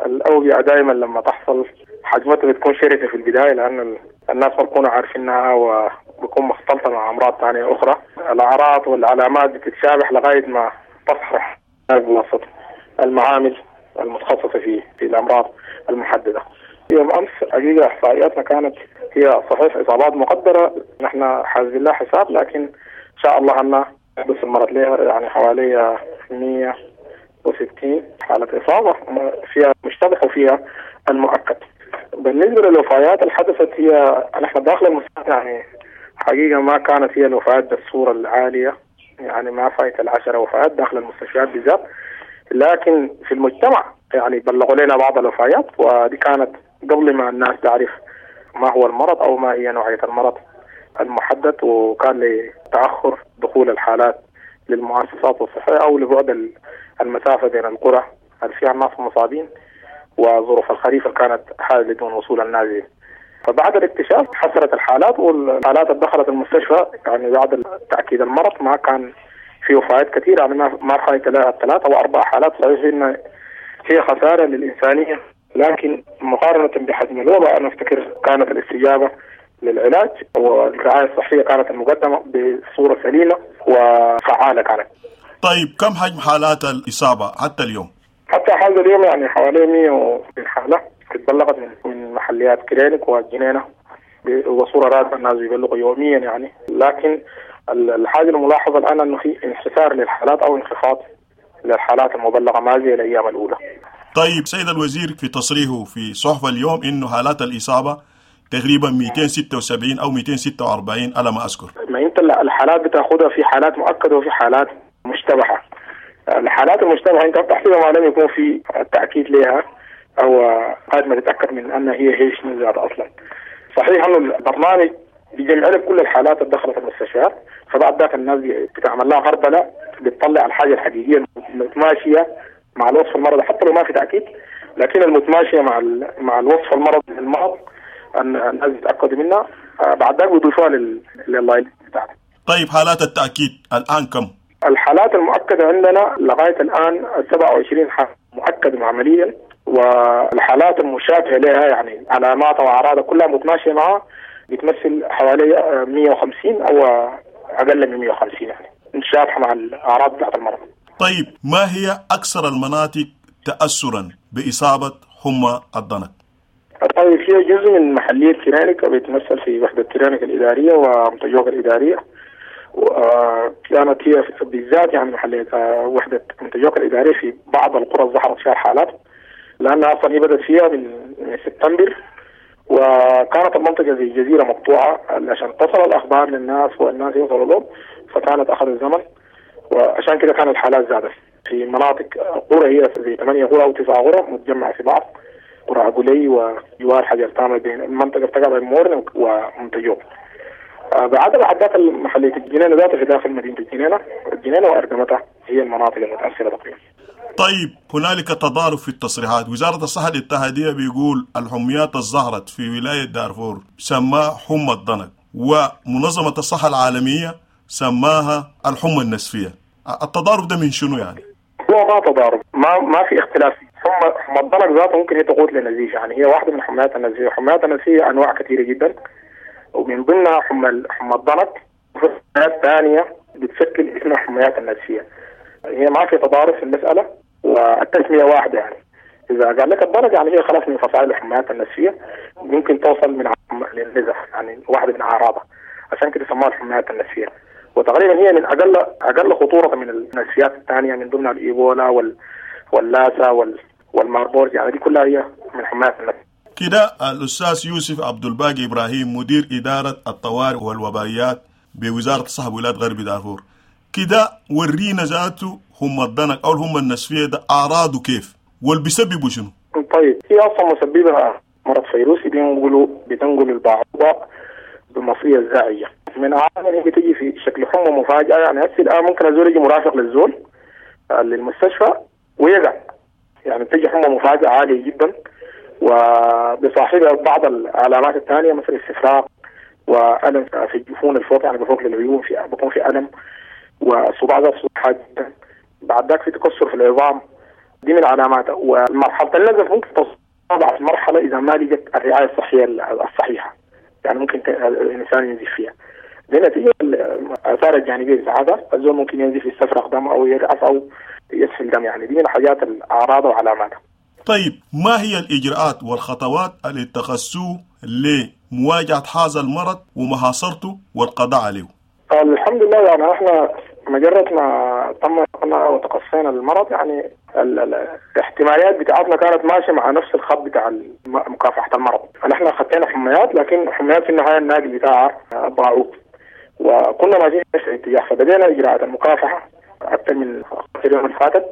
الأوبئة دائما لما تحصل حجمتها بتكون شرسة في البداية، لأن الناس ما بيكونوا عارفينها وبيكون مختلطة مع أمراض ثانية أخرى. الأعراض والعلامات بتتشابه لغاية ما تصحح بواسطة المعامل المتخصصة في في الأمراض المحددة. يوم أمس حقيقة إحصائياتنا كانت هي صحيح إصابات مقدرة، نحن حاسبين لها حساب، لكن إن شاء الله أن بس المرض لها يعني حوالي مئة وستين حالة إصابة فيها مشتبه وفيها المؤكد. بالنسبة للوفيات اللي حدثت، هي نحن داخل المستشفى يعني حقيقة ما كانت هي الوفيات بالصورة العالية، يعني ما فايت العشرة وفيات داخل المستشفيات بالذات، لكن في المجتمع يعني بلغوا لنا بعض الوفيات، ودي كانت قبل ما الناس تعرف ما هو المرض أو ما هي نوعية المرض المحدد، وكان لتأخر دخول الحالات للمؤسسات الصحية أو لبعد المسافة بين القرى اللي فيها الناس المصابين وظروف الخريف اللي كانت حالة دون وصول النازل. فبعد الاكتشاف حصلت الحالات، والحالات اللي دخلت المستشفى يعني بعد تأكيد المرض ما كان في وفيات كثيرة، يعني ما فايت لها ثلاثة أو أربع حالات. صحيح إن هي خسارة للإنسانية، لكن مقارنة بحجم الوباء أنا أفتكر كانت الاستجابة للعلاج والرعاية الصحية كانت المقدمة بصورة سليمة وفعالة كانت. طيب كم حجم حالات الإصابة حتى اليوم؟ حتى هذا اليوم يعني حوالي مئة حالة اتبلغت من من محليات كرينك والجنينة وصورة راتبة، الناس بيبلغوا يوميا يعني. لكن الحاجة الملاحظة الآن أنه في انحسار للحالات أو انخفاض للحالات المبلغة ما زي الأيام الأولى. طيب سيد الوزير في تصريحه في صحف اليوم إنه حالات الإصابة تقريبا مئتين وستة وسبعين أو مئتين وستة وأربعين على ما أذكر. ما أنت الحالات بتاخدها في حالات مؤكدة وفي حالات مشتبهة. الحالات المشتبهة أنت بتحسبها ما لم يكون في تأكيد لها أو قد ما تتأكد من أن هي هي شنو ذات أصلا. صحيح أنه البرنامج بيجمع لك كل الحالات اللي دخلت المستشفيات، فبعد ذاك الناس بتعمل لها غربلة، بتطلع الحاجة الحقيقية المتماشية مع الوصف المرضي حتى لو ما في تأكيد، لكن المتماشية مع مع الوصف المرضي للمرض أن الناس يتأكدوا منها، بعد ذاك بيضيفوها لل لل بتاعتها. طيب حالات التأكيد الآن كم؟ الحالات المؤكدة عندنا لغاية الآن سبعة وعشرين حالة مؤكدة عمليا، والحالات المشابهة لها يعني علامات وأعراض كلها متماشية معها بتمثل حوالي مئة وخمسين أو أقل من مئة وخمسين يعني متشابهة مع الأعراض بتاعت المرض. طيب ما هي أكثر المناطق تأثرا بإصابة حمى الضنك؟ طيب فيها جزء من محلية كرينك بيتمثل في وحدة كرينك الإدارية ومتجوك الإدارية، وكانت هي بالذات يعني محلية وحدة متجوك الإدارية في بعض القرى ظهرت فيها الحالات، لأنها أصلا هي بدأت فيها من سبتمبر، وكانت المنطقة زي جزيرة مقطوعة عشان تصل الأخبار للناس والناس يوصلوا لهم، فكانت أخذ الزمن، وعشان كده كانت الحالات زادت في مناطق قرى هي زي ثمانية قرى أو تسعة قرى متجمعة في بعض، قرى عقولي وجوار حجر تامر بين المنطقة بتقع بين مورن ومنتجوك. بعد بعد محلية الجنينة ذاتها في داخل مدينة الجنينة، الجنينة وأرقمتها هي المناطق المتأثرة تقريبا. طيب هنالك تضارب في التصريحات، وزارة الصحة الاتحادية بيقول الحميات الظهرت في ولاية دارفور سماها حمى الضنك، ومنظمة الصحة العالمية سماها الحمى النسفية. التضارب ده من شنو يعني؟ هو ما تضارب، ما ما في اختلاف. حمى حمى الضنك ذاته ممكن هي تقود للنزيف، يعني هي واحدة من حميات النزيف. حميات النزيف أنواع كثيرة جدا، ومن ضمنها حمى حمى الضنك، وفي حميات ثانية بتشكل اسمها حميات النزفية. هي ما في تضارب في المسألة والتسمية واحدة يعني. إذا قال لك الضنك يعني هي خلاص من فصائل الحميات النزفية، ممكن توصل من للنزف يعني واحدة من أعراضها، عشان كده سموها الحميات النزفية. وتقريبا هي من أقل أقل خطورة من النزفيات الثانية، من ضمنها الإيبولا وال واللاسا وال والماربورج، يعني دي كلها هي من حميات النزفية. كده الأستاذ يوسف عبد الباقي إبراهيم مدير إدارة الطوارئ والوبائيات بوزارة الصحة بولاية غرب دارفور، كده ورينا ذاته هم الضنك أو هم النسفية ده أعراضه كيف واللي بيسببوا شنو؟ طيب هي أصلا مسببها مرض فيروسي بينقلوا بتنقل البعوضة بالمصرية الزاعية. من أعراضها هي بتيجي في شكل حمى مفاجئة، يعني هسه الآن ممكن الزول يجي مرافق للزول للمستشفى ويقع، يعني بتيجي حمى مفاجئة عالية جدا، وبصاحبها بعض العلامات الثانية مثل استفراغ وألم في الجفون الفوق، يعني بفوق للعيون في بيكون في ألم، وصداع ذات صداع جدا، بعد ذاك في تكسر في العظام، دي من علاماتها. ومرحلة النزف ممكن تصل مرحلة إذا ما لقت الرعاية الصحية الصحيحة، يعني ممكن الإنسان ينزف فيها. دي نتيجة الآثار الجانبية بتاعتها، الزول ممكن ينزف يستفرغ دم أو يرأس أو يسفل دم، يعني دي من حاجات الأعراض وعلاماتها. طيب ما هي الإجراءات والخطوات اللي اتخذتوه لمواجهة هذا المرض ومحاصرته والقضاء عليه؟ الحمد لله يعني احنا مجرد ما تم وتقصينا المرض يعني الاحتماليات بتاعتنا كانت ماشية مع نفس الخط بتاع مكافحة المرض. احنا خدينا حميات، لكن حميات في النهاية الناقل بتاعها باعوض، وكنا ماشيين في نفس الاتجاه، فبدينا اجراءات المكافحه اكثر من اليوم اللي فاتت.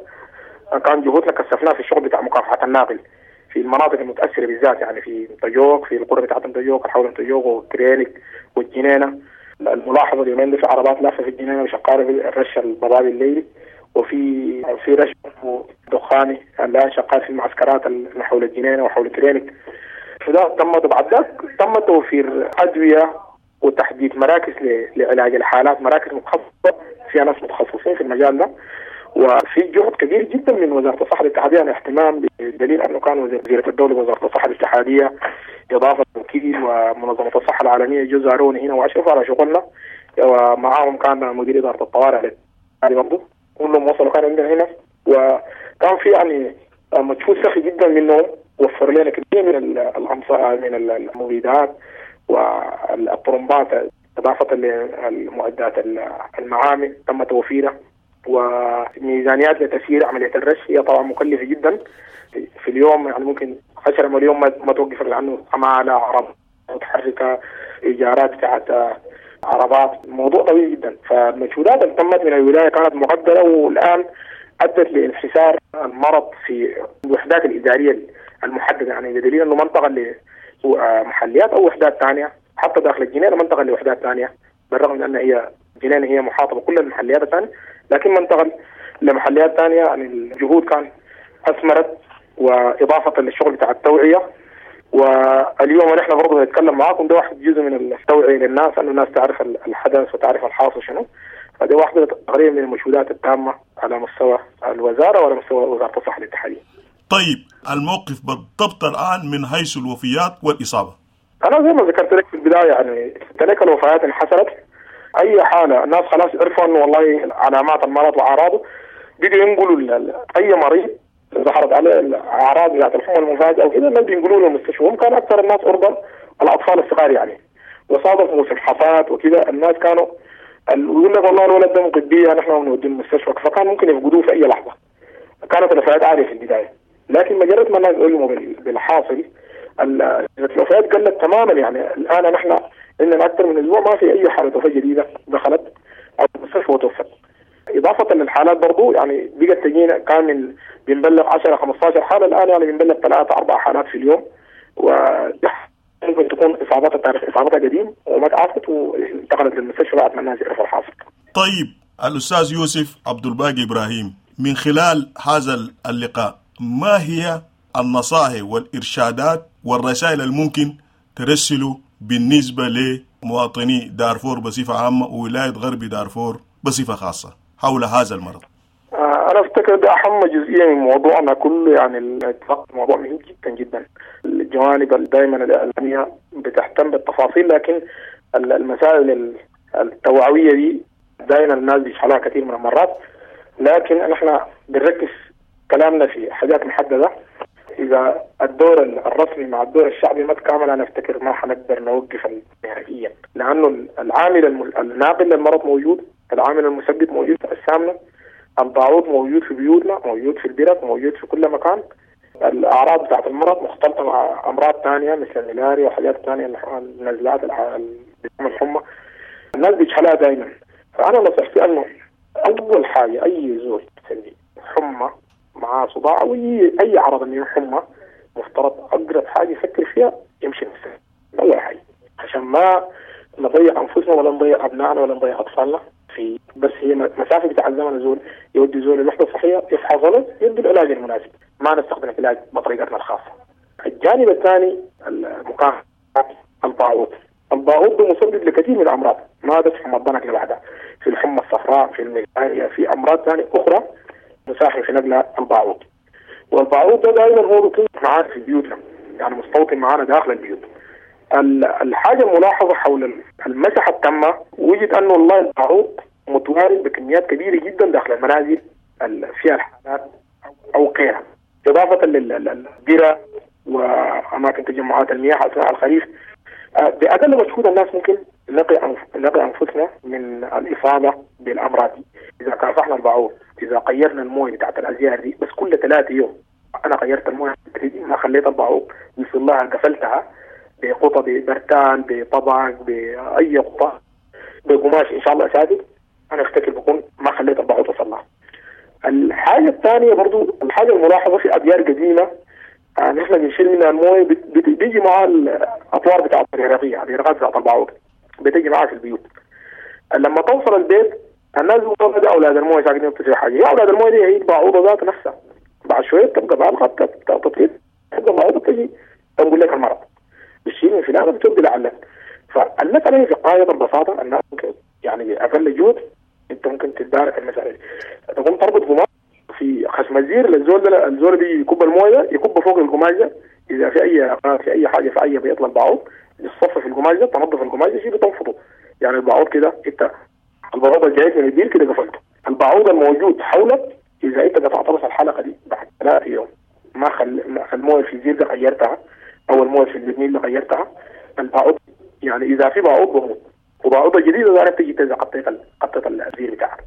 كان جهودنا كثفناها في الشغل بتاع مكافحة الناقل في المناطق المتاثرة بالذات، يعني في متجوك، في القرى بتاعت متجوك، حول متجوك وكرينك والجنينه. الملاحظة اليومين دي في عربات لافه في الجنينة وشغالة في الرش الضبابي الليلي، وفي في رش دخاني الان شغال في المعسكرات اللي حول الجنينة وحول كرينك. فده تم بعد ذاك تم توفير ادوية وتحديد مراكز لعلاج الحالات، مراكز متخصصة فيها ناس متخصصين في المجال ده، وفي جهد كبير جدا من وزارة الصحة الاتحادية، يعني اهتمام بدليل انه كان وزيره الدولة وزارة الصحة الاتحادية اضافه وكيل ومنظمة الصحة العالمية جو زاروني هنا واشرفوا على شغلنا، ومعاهم كان مدير ادارة الطوارئ برضه، كلهم وصلوا كان عندنا هنا، وكان في يعني مجهود سخي جدا منهم، وفر لنا كثير من الأمصار من المبيدات والطرمبات، إضافة للمعدات المعامل تم توفيرها، وميزانيات لتسيير عملية الرش هي طبعا مكلفة جدا في اليوم، يعني ممكن عشرة مليون ما توقف لأنه عمالة، عربات متحركة، إيجارات بتاعت عربات، موضوع طويل جدا. فالمجهودات اللي تمت من الولاية كانت مقدرة، والآن أدت لانحسار المرض في الوحدات الإدارية المحددة، يعني بدليل أنه منطقة لمحليات أو وحدات ثانية حتى داخل الجنينة منطقة لوحدات ثانية، بالرغم من أن هي جنينة هي محاطة بكل المحليات الثانية، لكن منطقة لمحليات ثانية. يعني الجهود كان أثمرت، وإضافة للشغل بتاع التوعية. واليوم نحن برضه نتكلم معاكم ده واحد جزء من التوعية للناس، أنه الناس تعرف الحدث وتعرف الحاصل شنو. فده واحدة تقريبا من المجهودات التامة على مستوى الوزارة وعلى مستوى وزارة الصحة الاتحادية. طيب الموقف بالضبط الآن من حيث الوفيات والإصابة؟ أنا زي ما ذكرت لك في البداية يعني تلك الوفيات انحسرت. أي حالة الناس خلاص عرفوا أنه والله علامات المرض وأعراضه، بيجوا ينقلوا أي مريض ظهرت عليه الأعراض بتاعت الحمى المفاجئة أو كده، الناس بينقلوا له المستشفى. هم كان أكثر الناس عرضة الأطفال الصغار يعني، وصادف موسم حصاد وكده، الناس كانوا يقول لك والله الولد ده مقدية نحن بنوديه المستشفى، فكان ممكن يفقدوه في أي لحظة. كانت الوفيات عالية في البداية، لكن مجرد ما الناس علموا بالحاصل الوفيات قلت تماما. يعني الآن نحن عندنا أكثر من أسبوع ما في أي حالة وفاة جديدة دخلت المستشفى وتوفت. إضافة للحالات برضو يعني بقت تجينا كان من بنبلغ عشرة خمسة عشر حالة، الآن يعني بنبلغ ثلاثة أربع حالات في اليوم، وممكن تكون إصاباتها تاريخ إصابتها قديم وما تعافت وانتقلت للمستشفى بعد ما الناس يعرفوا الحاصل. طيب الأستاذ يوسف عبد الباقي إبراهيم، من خلال هذا اللقاء ما هي النصائح والإرشادات والرسائل الممكن ترسلوا بالنسبة لمواطني دارفور بصفة عامة وولاية غرب دارفور بصفة خاصة حول هذا المرض؟ أنا أفتكر ده أهم جزئية من موضوعنا كله، يعني الموضوع مهم جدا جدا. الجوانب دائما الإعلامية بتهتم بالتفاصيل، لكن المسائل التوعوية دي دائما الناس بيشحلها كثير من المرات، لكن نحن بنركز كلامنا في حاجات محددة. إذا الدور الرسمي مع الدور الشعبي ما تكامل، أنا أفتكر ما حنقدر نوقف نهائيا، لأنه العامل الناقل للمرض موجود، العامل المسبب موجود في أجسامنا، البعوض موجود في بيوتنا، موجود في البرك، موجود في كل مكان. الأعراض بتاعت المرض مختلطة مع أمراض ثانية مثل الملاريا وحاجات ثانية، النزلات، الحمى، الناس بيجهلها دائما. فأنا نصيحتي أنه أول حاجة أي زول حمى مع صداع أو أي عرض من حمى، مفترض أقرب حاجة يفكر فيها يمشي المستشفى أول حاجة، عشان ما نضيع أنفسنا ولا نضيع أبنائنا ولا نضيع أطفالنا في بس هي مسافة بتاع الزمن. زول يودي زول الوحدة الصحية يفحص له يدي العلاج المناسب، ما نستخدم العلاج بطريقتنا الخاصة. الجانب الثاني المكافحة البعوض. البعوض ده مسبب لكثير من الأمراض، ما بس حمى الضنك لوحدها، في الحمى الصفراء، في الملاريا، في أمراض ثانية أخرى مساهم في نقل البعوض. والبعوض ده دائما هو بيكون معانا في بيوتنا، يعني مستوطن معانا داخل البيوت. الحاجة الملاحظة حول المسحة التامة، وجد أنه والله البعوض متوارد بكميات كبيرة جدا داخل المنازل فيها الحالات أو غيرها، إضافة للبيرة وأماكن تجمعات المياه أثناء الخريف. بأقل مجهود الناس ممكن نقي نقي أنفسنا من الإصابة بالأمراض دي. إذا كافحنا البعوض، إذا غيرنا المويه بتاعت الأزيار دي بس كل ثلاثة يوم، أنا غيرت المويه ما خليت البعوض يوصل لها، قفلتها بقطة، ببرتان، بطبق، بأي قطة، بقماش إن شاء الله سادد، أنا أفتكر بكون ما خليت البعوض تصل لها. الحاجة الثانية برضو الحاجة الملاحظة في أبيار قديمة آه نحن بنشيل منها المويه، بيجي معها الأطوار بتاعت الهرقية، الهرقات بتاعت البعوض بتيجي معها في البيوت. لما توصل البيت الناس بيقولوا ده أولاد المويه ساكنين في حاجة، يا أولاد المويه دي هي البعوضة ذات نفسها، بعد شوية تبقى بالغة تطير، تبقى البعوضة تجي تنقل لك المرض، بتشيل من فلان بتودي لعلك. فالمسألة هي في غاية البساطة، الناس ممكن يعني بأقل جهد أنت ممكن تتدارك المسألة دي. تقوم تربط قماش في خشم الزير للزول ده، الزول بيجي يكب المويه يكب فوق القماش ده، إذا في أي في أي حاجة في أي بيطلع البعوض يتصفى في القماش ده، تنظف القماش ده شيء بتنفضه، يعني البعوض كده أنت البعوض الجاي من البير كده قفلته. البعوض الموجود حولك اذا انت قطعت بس الحلقة دي بعد ثلاثة يوم ما خل المويه في الزير ده غيرتها او المويه في البرميل ده غيرتها، البعوض يعني اذا في بعوض بموت، وبعوضه جديدة ظهرت تجي تنزل قطيت قطيت الزير بتاعك.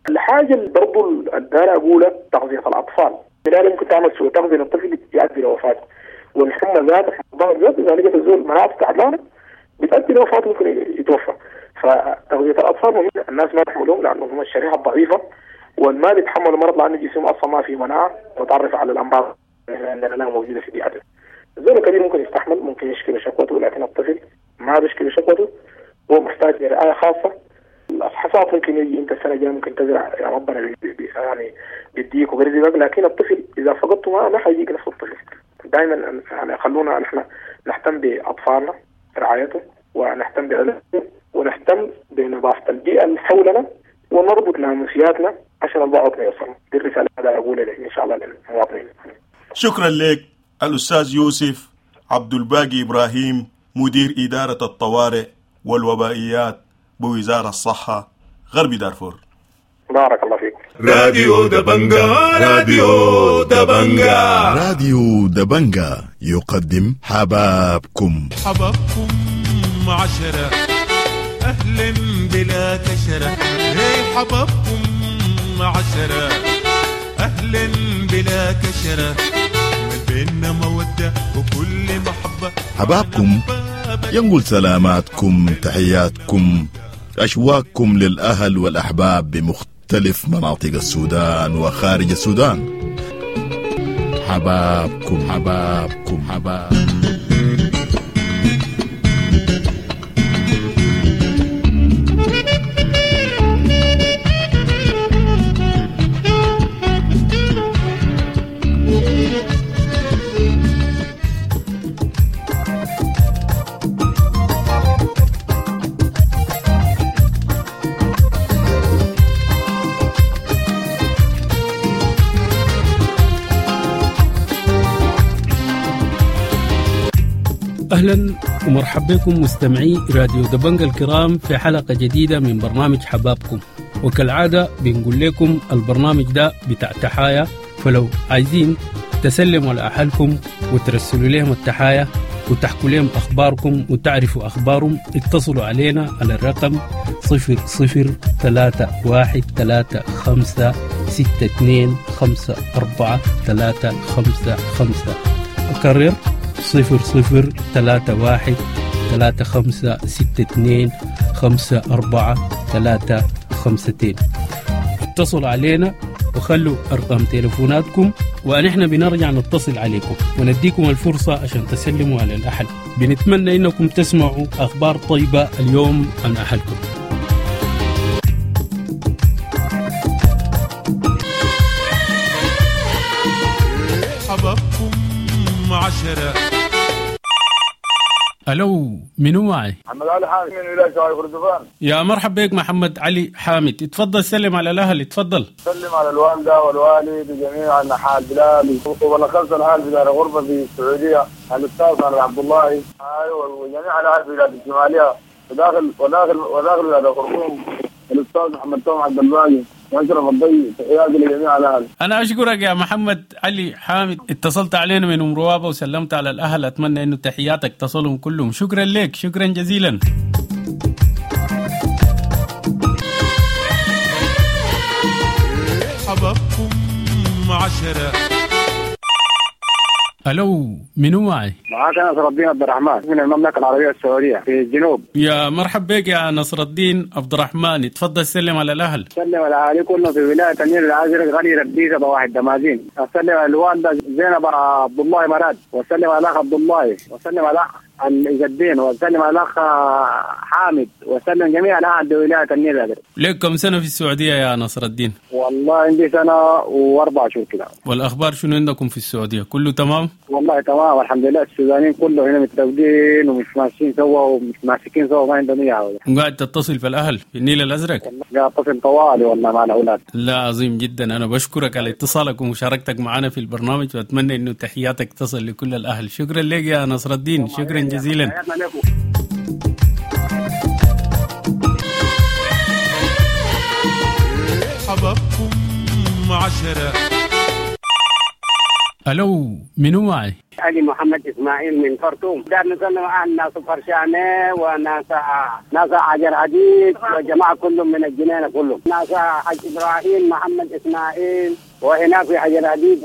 الحاجة اللي برضه اللي اقولها تغذية الاطفال، بالتالي ممكن تعمل سوء تغذية للطفل يؤدي لوفاته، والحمى ذات الضغط ذات اذا لقيت الزول مناعته تعبانة بتؤدي لوفاته ممكن يتوفى. فتغذيه الاطفال مهم الناس ما تحملهم لانه هم الشريحة الضعيفة والما بيتحملوا مرض لانه جسمهم اصلا ما فيه مناعة متعرف على الامراض اللي عندنا موجودة في بيئته. الزول الكبير ممكن يستحمل، ممكن يشكي بشكوته، لكن الطفل ما بيشكي بشكوته، هو محتاج لرعاية خاصة. الحصاد ممكن يجي انت السنة الجاية ممكن تزرع يا ربنا بي بي يعني بيديك وبيرزقك، لكن الطفل اذا فقدته ما ما حيجيك نفس الطفل. دائما يعني خلونا نحن نهتم باطفالنا رعايتهم، ونهتم بعلاجهم، ونهتم بنظافه البيئة اللي حولنا، ونربط ناموسياتنا عشان البعض ما يوصل. دي الرسالة اللي اقولها ان شاء الله للمواطنين. شكرا لك الاستاذ يوسف عبد الباقي ابراهيم، مدير ادارة الطوارئ والوبائيات بوزارة الصحة غرب دارفور. بارك الله فيك. راديو دبنجا، راديو دبنجا، راديو دبنجا يقدم حبابكم. حبابكم عشرة أهلا بلا كشرة، هي حبابكم عشرة أهلا بلا كشرة، بيننا مودة وكل محبة. حبابكم ينقل سلاماتكم، تحياتكم، أشواقكم للأهل والأحباب بمختلف مناطق السودان وخارج السودان. حبابكم حبابكم حباب. أهلا ومرحبا بكم مستمعي راديو دبنجا الكرام في حلقة جديدة من برنامج حبابكم. وكالعادة بنقول لكم البرنامج ده بتاع تحايا، فلو عايزين تسلموا على أهلكم وترسلوا لهم التحايا وتحكوا لهم أخباركم وتعرفوا أخبارهم، اتصلوا علينا على الرقم صفر صفر ثلاثة واحد ثلاثة خمسة ستة اثنين خمسة أربعة ثلاثة خمسة خمسة. أكرر صفر صفر ثلاثة واحد ثلاثة خمسة ستة اثنين خمسة أربعة ثلاثة خمستين. اتصلوا علينا وخلوا أرقام تليفوناتكم ونحن بنرجع نتصل عليكم ونديكم الفرصة عشان تسلموا على الأهل. بنتمنى إنكم تسمعوا أخبار طيبة اليوم عن أهلكم. حبابكم عشرة. ألو، منو معي؟ محمد علي حامد من ولاية شمال كردفان. يا مرحبا بك محمد علي حامد، اتفضل سلم على الأهل. اتفضل سلم على الوالدة والوالد وجميع أنحاء البلاد، وبالأخص الأهل في دار غرفة في السعودية، الأستاذ علي عبد الله، أيوة، وجميع الأهل في الولايات الشمالية وداخل وداخل وداخل ولاية الخرطوم، الأستاذ محمد توم عبد الباقي وأشرف الضي. تحياتي لجميع الأهل. أنا أشكرك يا محمد علي حامد، اتصلت علينا من أم روابة وسلمت على الأهل، أتمنى أنه تحياتك تصلهم كلهم. شكرا لك، شكرا جزيلا. حبابكم عشرة. ألو، منو معي؟ معاك نصر الدين عبد الرحمن من المملكة العربية السعودية في الجنوب. يا مرحبا بك يا نصر الدين عبد الرحمن، اتفضل سلم على الأهل. سلم على أهلي كلهم في ولاية النيل الأزرق، غني رديسة بواحد دمازين. أسلم على الوالدة زينب عبد الله مراد، وأسلم على الأخ عبد الله، وأسلم على الأخ عز الدين، وأسلم على الأخ حامد، وأسلم جميع الأهل بولاية النيل الأزرق. لك كم سنة في السعودية يا نصر الدين؟ والله عندي سنة وأربع شهور كده. والأخبار شنو عندكم في السعودية؟ كله تمام؟ والله تمام والحمد لله، السودانيين كله هنا متفقين ومش ماشيين سوا ومش ماسكين سوا، ما عندهم اي عوده. وقاعد تتصل في الاهل في النيل الازرق؟ قاعد اتصل طوالي والله مع الاولاد. لا عظيم جدا، انا بشكرك على اتصالك ومشاركتك معنا في البرنامج، واتمنى انه تحياتك تصل لكل الاهل. شكرا لك يا نصر الدين، شكرا جزيلا. عشرة. ألو، منو معي؟ علي محمد إسماعيل من خرطوم. دار نسلم أهل ناس فرشانة وناس ناس عجر عديد وجماعة كلهم من الجنينة كلهم، ناس حاج إبراهيم محمد إسماعيل، وهناك في حجر عديد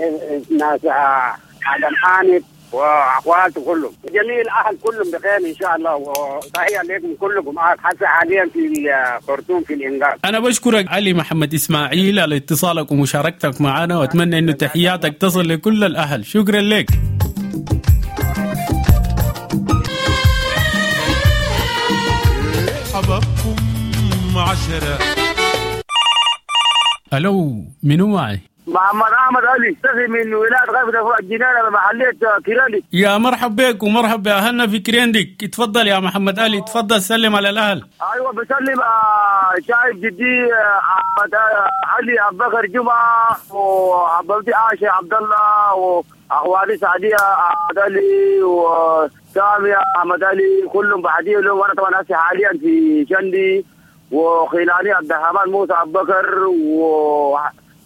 ناس آدم حامد واخواته كلهم، جميع الاهل كلهم بخير ان شاء الله، وتحيه لكم كلكم. حتى حاليا في خرطوم في الانقاذ. انا بشكرك علي محمد اسماعيل على اتصالك ومشاركتك معنا، واتمنى انه تحياتك تصل لكل الاهل. شكرا لك. حبابكم عشرة. الو، منو معي؟ محمد احمد علي تفي من ولايه غرب الجنينه بمحليه كريندك. يا مرحب بك ومرحب باهلنا في كريندك. اتفضل يا محمد علي، اتفضل سلم على الاهل. ايوه بسلم شايف جدي احمد علي ابو بكر جمعه وعبدي عائشه عبد الله واخواني سعديه احمد علي وساميه احمد علي كلهم بعديه لهم. وانا طبعا هسه حاليا في شندي وخلاني عبد الرحمن موسى ابو بكر و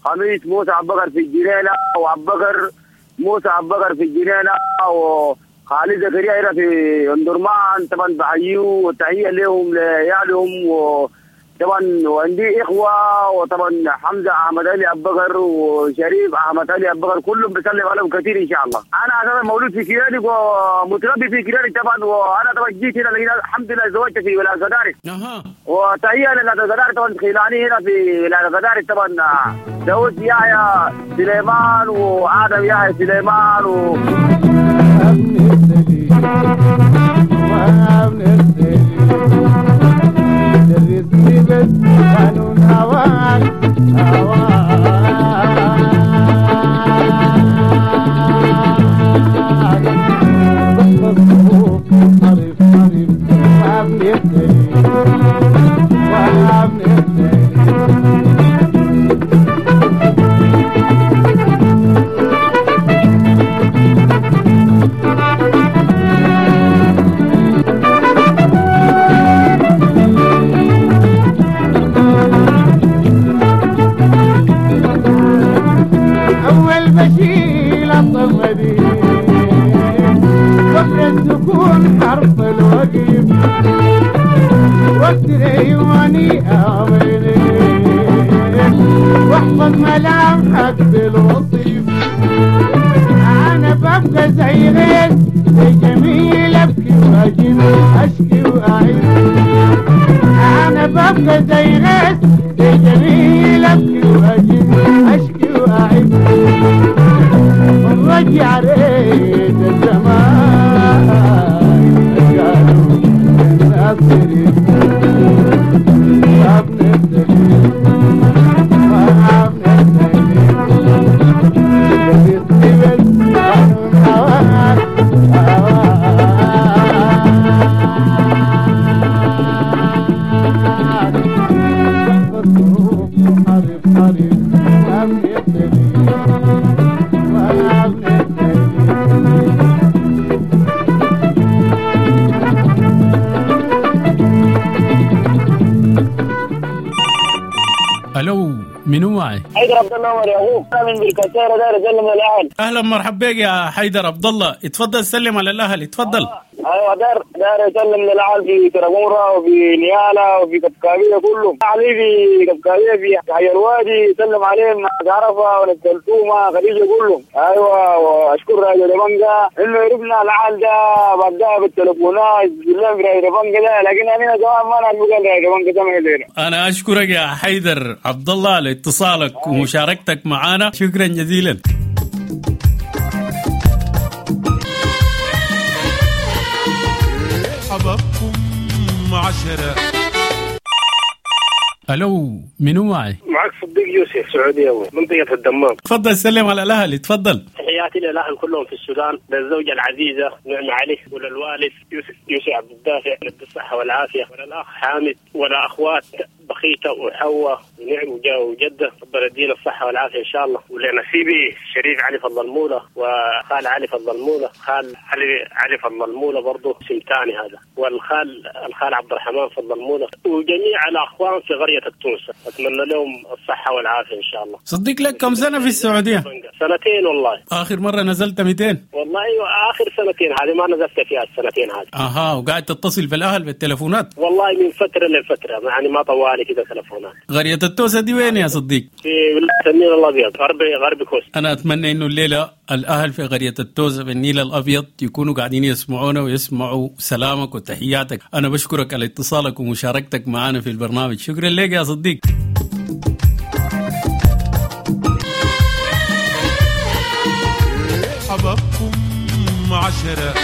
خميس موسى ابو بكر في الجنينه وابو بكر موسى ابو بكر في الجنينه وخالد زكريا هنا في اندرمان. طبعا بحييه وتحيه لهم لعيالهم، وطبعا وعندي اخوه، وطبعا حمزه احمد علي ابو بكر وشريف احمد علي ابو بكر كلهم بسلم عليهم كثير ان شاء الله. انا اساسا مولود في كيرانك ومتربي في كيرانك طبعا، وانا طبعا جيت هنا لقينا الحمد لله زوجت في ولايه قدارك. اها، وتحيه لناس قدارك طبعا، خلاني هنا في ولايه قدارك طبعا داود يحيى سليمان وآدم يحيى سليمان و الو، منو معي؟ حيدر عبد الله عمر يا اخوك، انا من بالكساره داير اسلم على الاهل. اهلا مرحبا بك يا حيدر عبد الله، اتفضل سلم على الاهل، اتفضل. آه. ايوه داير داير اسلم للاهل في كرموره وفي نيالا وفي كبكابيه كلهم، علي في كبكابيه في حي الوادي سلم عليهم عرفه ونسلتومه خديجه كلهم. ايوه واشكر راجل دبنجا انه عرفنا العال ده بعدها بالتليفونات بالله في راجل دبنجا ده، لكن انا زمان ما نعرف قال راجل دبنجا ده ما. انا اشكرك يا حيدر عبد الله على اتصالك ومشاركتك معنا، شكرا جزيلا. حبابكم عشرة. الو، منو معي؟ معك صديق يوسف سعودية منطقة الدمام. تفضل سلم على الأهل، تفضل. تحياتي للأهل كلهم في السودان، للزوجة العزيزة نعمة علي، وللوالد يوسف يوسف عبد الدافع بالصحة والعافية، وللأخ حامد، ولأخوات بخيتة وحواء ونعم وجدة، ربنا يدينا الصحة والعافية إن شاء الله. ولنسيبي شريف علي فضل المولى وخال علي فضل المولى، خال علي علي فضل المولى برضه اسم ثاني هذا، والخال الخال عبد الرحمن فضل المولى، وجميع الأخوان في قرية التونسة، أتمنى لهم الصحة والعافية إن شاء الله. صديق لك كم سنة في السعودية؟ سنتين والله. آخر مرة نزلت مئتين؟ والله آخر سنتين هذه ما نزلت فيها السنتين هذه. أها، وقاعد تتصل بالأهل بالتلفونات؟ والله من فترة لفترة، يعني ما طوالي كده تلفونات. قرية التوسة دي وين يا صديق؟ في ولاية النيل الأبيض، غرب غرب كوست. أنا أتمنى إنه الليلة الأهل في قرية التوسة بالنيل الأبيض يكونوا قاعدين يسمعونا ويسمعوا سلامك وتحياتك. أنا بشكرك على اتصالك ومشاركتك معنا في البرنامج، شكرا لك يا صديق. حبابكم عشرة.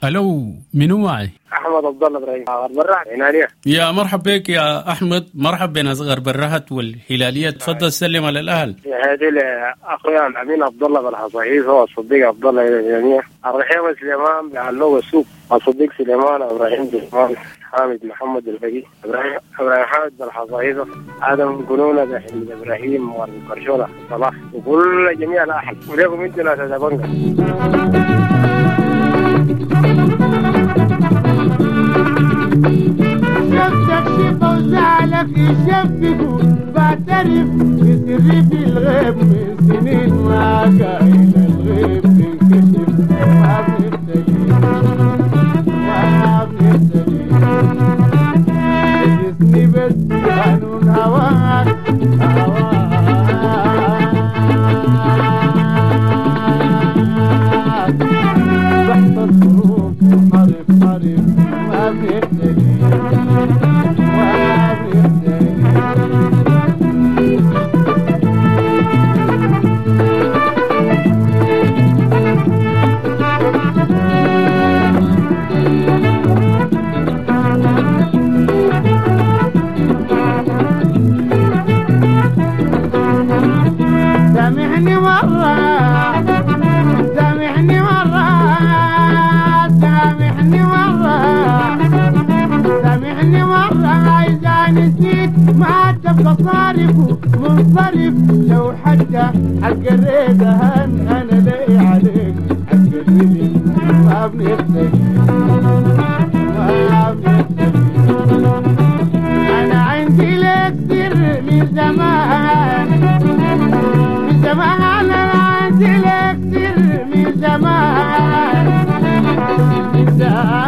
ألو، منو معي؟ أحمد عبد الله إبراهيم، غرب الرهط هلالية. يا مرحب بك يا أحمد، مرحب بناس غرب الرهط والهلالية، تفضل سلم على الأهل. هذه أخويا الأمين عبد الله بالحصيص والصديق عبد الله الجميع، الرحيم سليمان بعلوه السوق، الصديق سليمان إبراهيم سليمان، حامد محمد الفقي، إبراهيم إبراهيم حامد بالحصيصة، آدم قنونة بحمد إبراهيم والقرشولة صلاح، وكل جميع الأهل، وليكم أنتم ناس دبنجة. شفتك شفا وزعلك يشفقوا، بعترف بسري في الغيب من سنين ما كاين الغيب بينكشف، ما بنختلف ما بنختلف، جسمي بس قانون هواك هواك تحت الظروف حرف حرف ما بنختلف ما بنختلف. سامحني مرة، سامحني مرة، سامحني مرة، سامحني مرة، إذا نسيت ما تبقى صارف منصرف، لو حتى حق الريدهن أنا لي عليك حق الريد ما بنختلف ما بنختلف. أنا عندي لك سر من زمان، من زمان، أنا عندي لك سر من زمان، من زمان.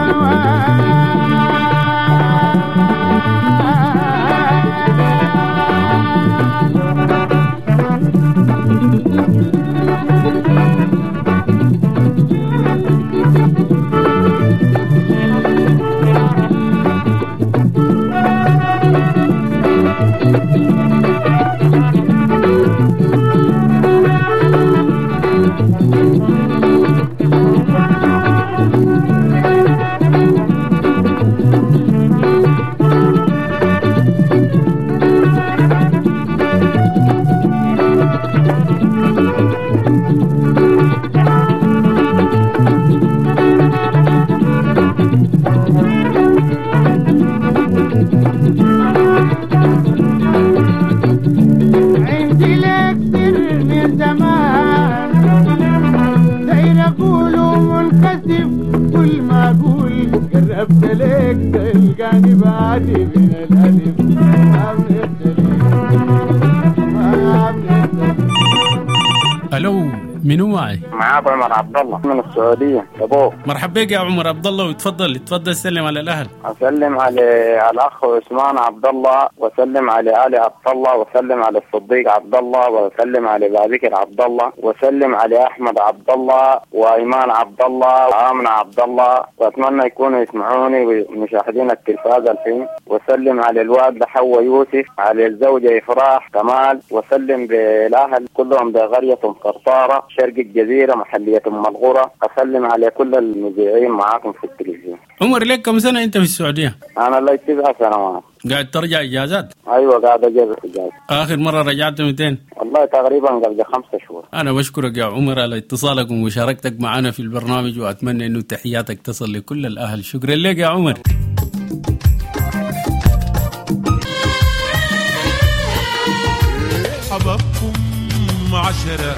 عندي لك سر من زمان داير اقوله منكسف، كل ما اقول قربت لك تلقاني بعدي من الالف، ما بنختلف ما بنختلف. ألو، منو معي؟ معاك عمر عبد الله من السعودية. أبوه مرحب بك يا عمر عبد الله، وتفضل تفضل سلم على الأهل. أسلم على الأخ عثمان عبد الله، وسلم على علي عبد الله، وسلم على الصديق عبد الله، وسلم على بابكر عبد الله، وسلم على أحمد عبد الله، وإيمان عبد الله، وآمنة عبد الله، وأتمنى يكونوا يسمعوني ومشاهدين التلفاز الحين. وسلم على الوالد حواء يوسف، على الزوجة إفراح كمال، وسلم بالأهل كلهم بقرية قرطارة شرق الجزيرة محلية أم الغرة. أسلم على كل المذيعين معاكم في التلفزيون. عمر، لك كم سنة أنت في السعودية؟ أنا لي تسع سنوات. قاعد ترجع إجازات؟ أيوة قاعد أجازة إجازة. آخر مرة رجعت مئتين؟ والله تقريبا قبل خمسة شهور. أنا بشكرك يا عمر على اتصالك ومشاركتك معنا في البرنامج، وأتمنى أنه تحياتك تصل لكل الأهل. شكرا لك يا عمر. عشرة.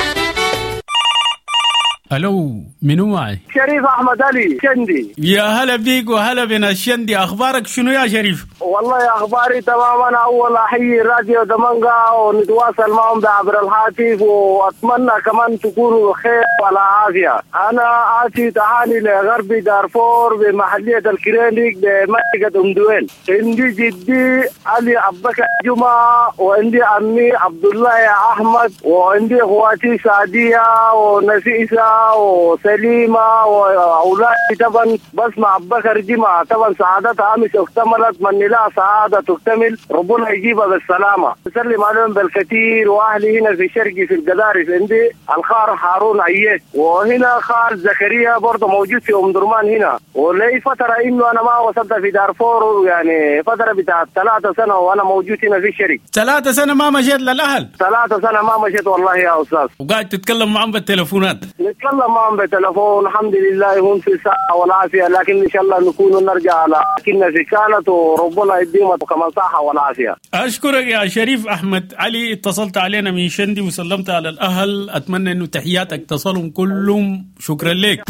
الو، منو معي؟ شريف احمد علي شندي. يا هلا بيك وهلا بنا الشندي، اخبارك شنو يا شريف؟ والله اخباري تمام. انا اول احيي راديو دمنقا ونتواصل معهم عبر الهاتف، واتمنى كمان تكونوا بخير وعلى عافيه. انا اتي تهاني لغرب دارفور بمحليه الكرينيك بمنطقه ام دويل. عندي جدي علي ابو بكر جمعه، وعندي عمي عبد الله احمد، وعندي اخواتي سعديه ونفيسه وسليمة وأولادي طبعا. بس مع بكر جمعة طبعا سعادتها أمس اكتملت، من لا سعادة تكتمل ربنا يجيبها بالسلامة. أسلم عليهم بالكثير. وأهلي هنا في شرقي في القدارف عندي الخار هارون عييت، وهنا خال زكريا برضه موجود في أم درمان هنا. ولي فترة إنه أنا ما وصلت في دارفور، يعني فترة بتاع ثلاثة سنة وأنا موجود هنا في الشرق. ثلاثة سنة ما مشيت للأهل؟ ثلاثة سنة ما مشيت والله يا أستاذ. وقاعد تتكلم معهم بالتليفونات؟ نتكلم معهم بالتلفون الحمد لله، هم في الصحة والعافية، لكن إن شاء الله نكون نرجع على كنا في كانت، وربنا يديهم كمان صحة والعافية. أشكرك يا شريف أحمد علي، اتصلت علينا من شندي وسلمت على الأهل، أتمنى أنه تحياتك تصلهم كلهم. شكرا لك.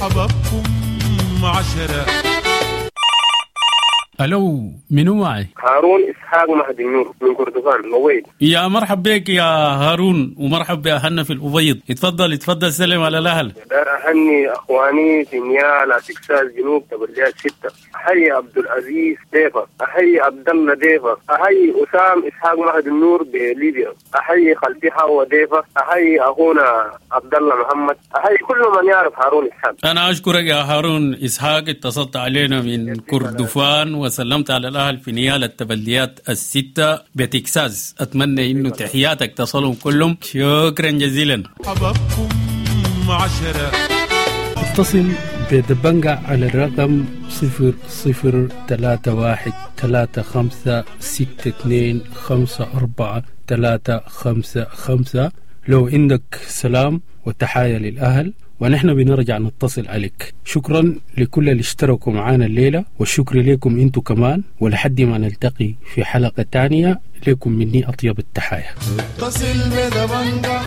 حبابكم عشرة. الو، منو معي؟ هارون اسحاق مهدي النور من كردفان الأبيض. يا مرحب بك يا هارون، ومرحب باهلنا في الأبيض. اتفضل اتفضل سلم على الاهل. دار اهني اخواني في نيالا تكساس جنوب تبليات ستة. احيي عبد العزيز ديفا، احيي عبد الله ديفا، احيي اسام اسحاق مهدي النور بليبيا، احيي خالتي حوا ديفا، احيي اخونا عبد الله محمد، احيي كل من يعرف هارون اسحاق. انا اشكرك يا هارون اسحاق، اتصلت علينا من كردفان وسلمت على الأهل في نيال التبليات الستة بتكساس. أتمنى إنه تحياتك تصلهم كلهم. شكرا جزيلا. حبابكم عشرة. اتصل بدبنجة على الرقم صفر صفر ثلاثة واحد ثلاثة خمسة ستة اثنين خمسة أربعة ثلاثة خمسة خمسة لو عندك سلام وتحايا للأهل، ونحن بنرجع نتصل عليك. شكرا لكل اللي اشتركوا معانا الليلة، والشكر لكم انتو كمان، ولحد ما نلتقي في حلقة تانية لكم مني أطيب التحايا. اتصل بدبنجة.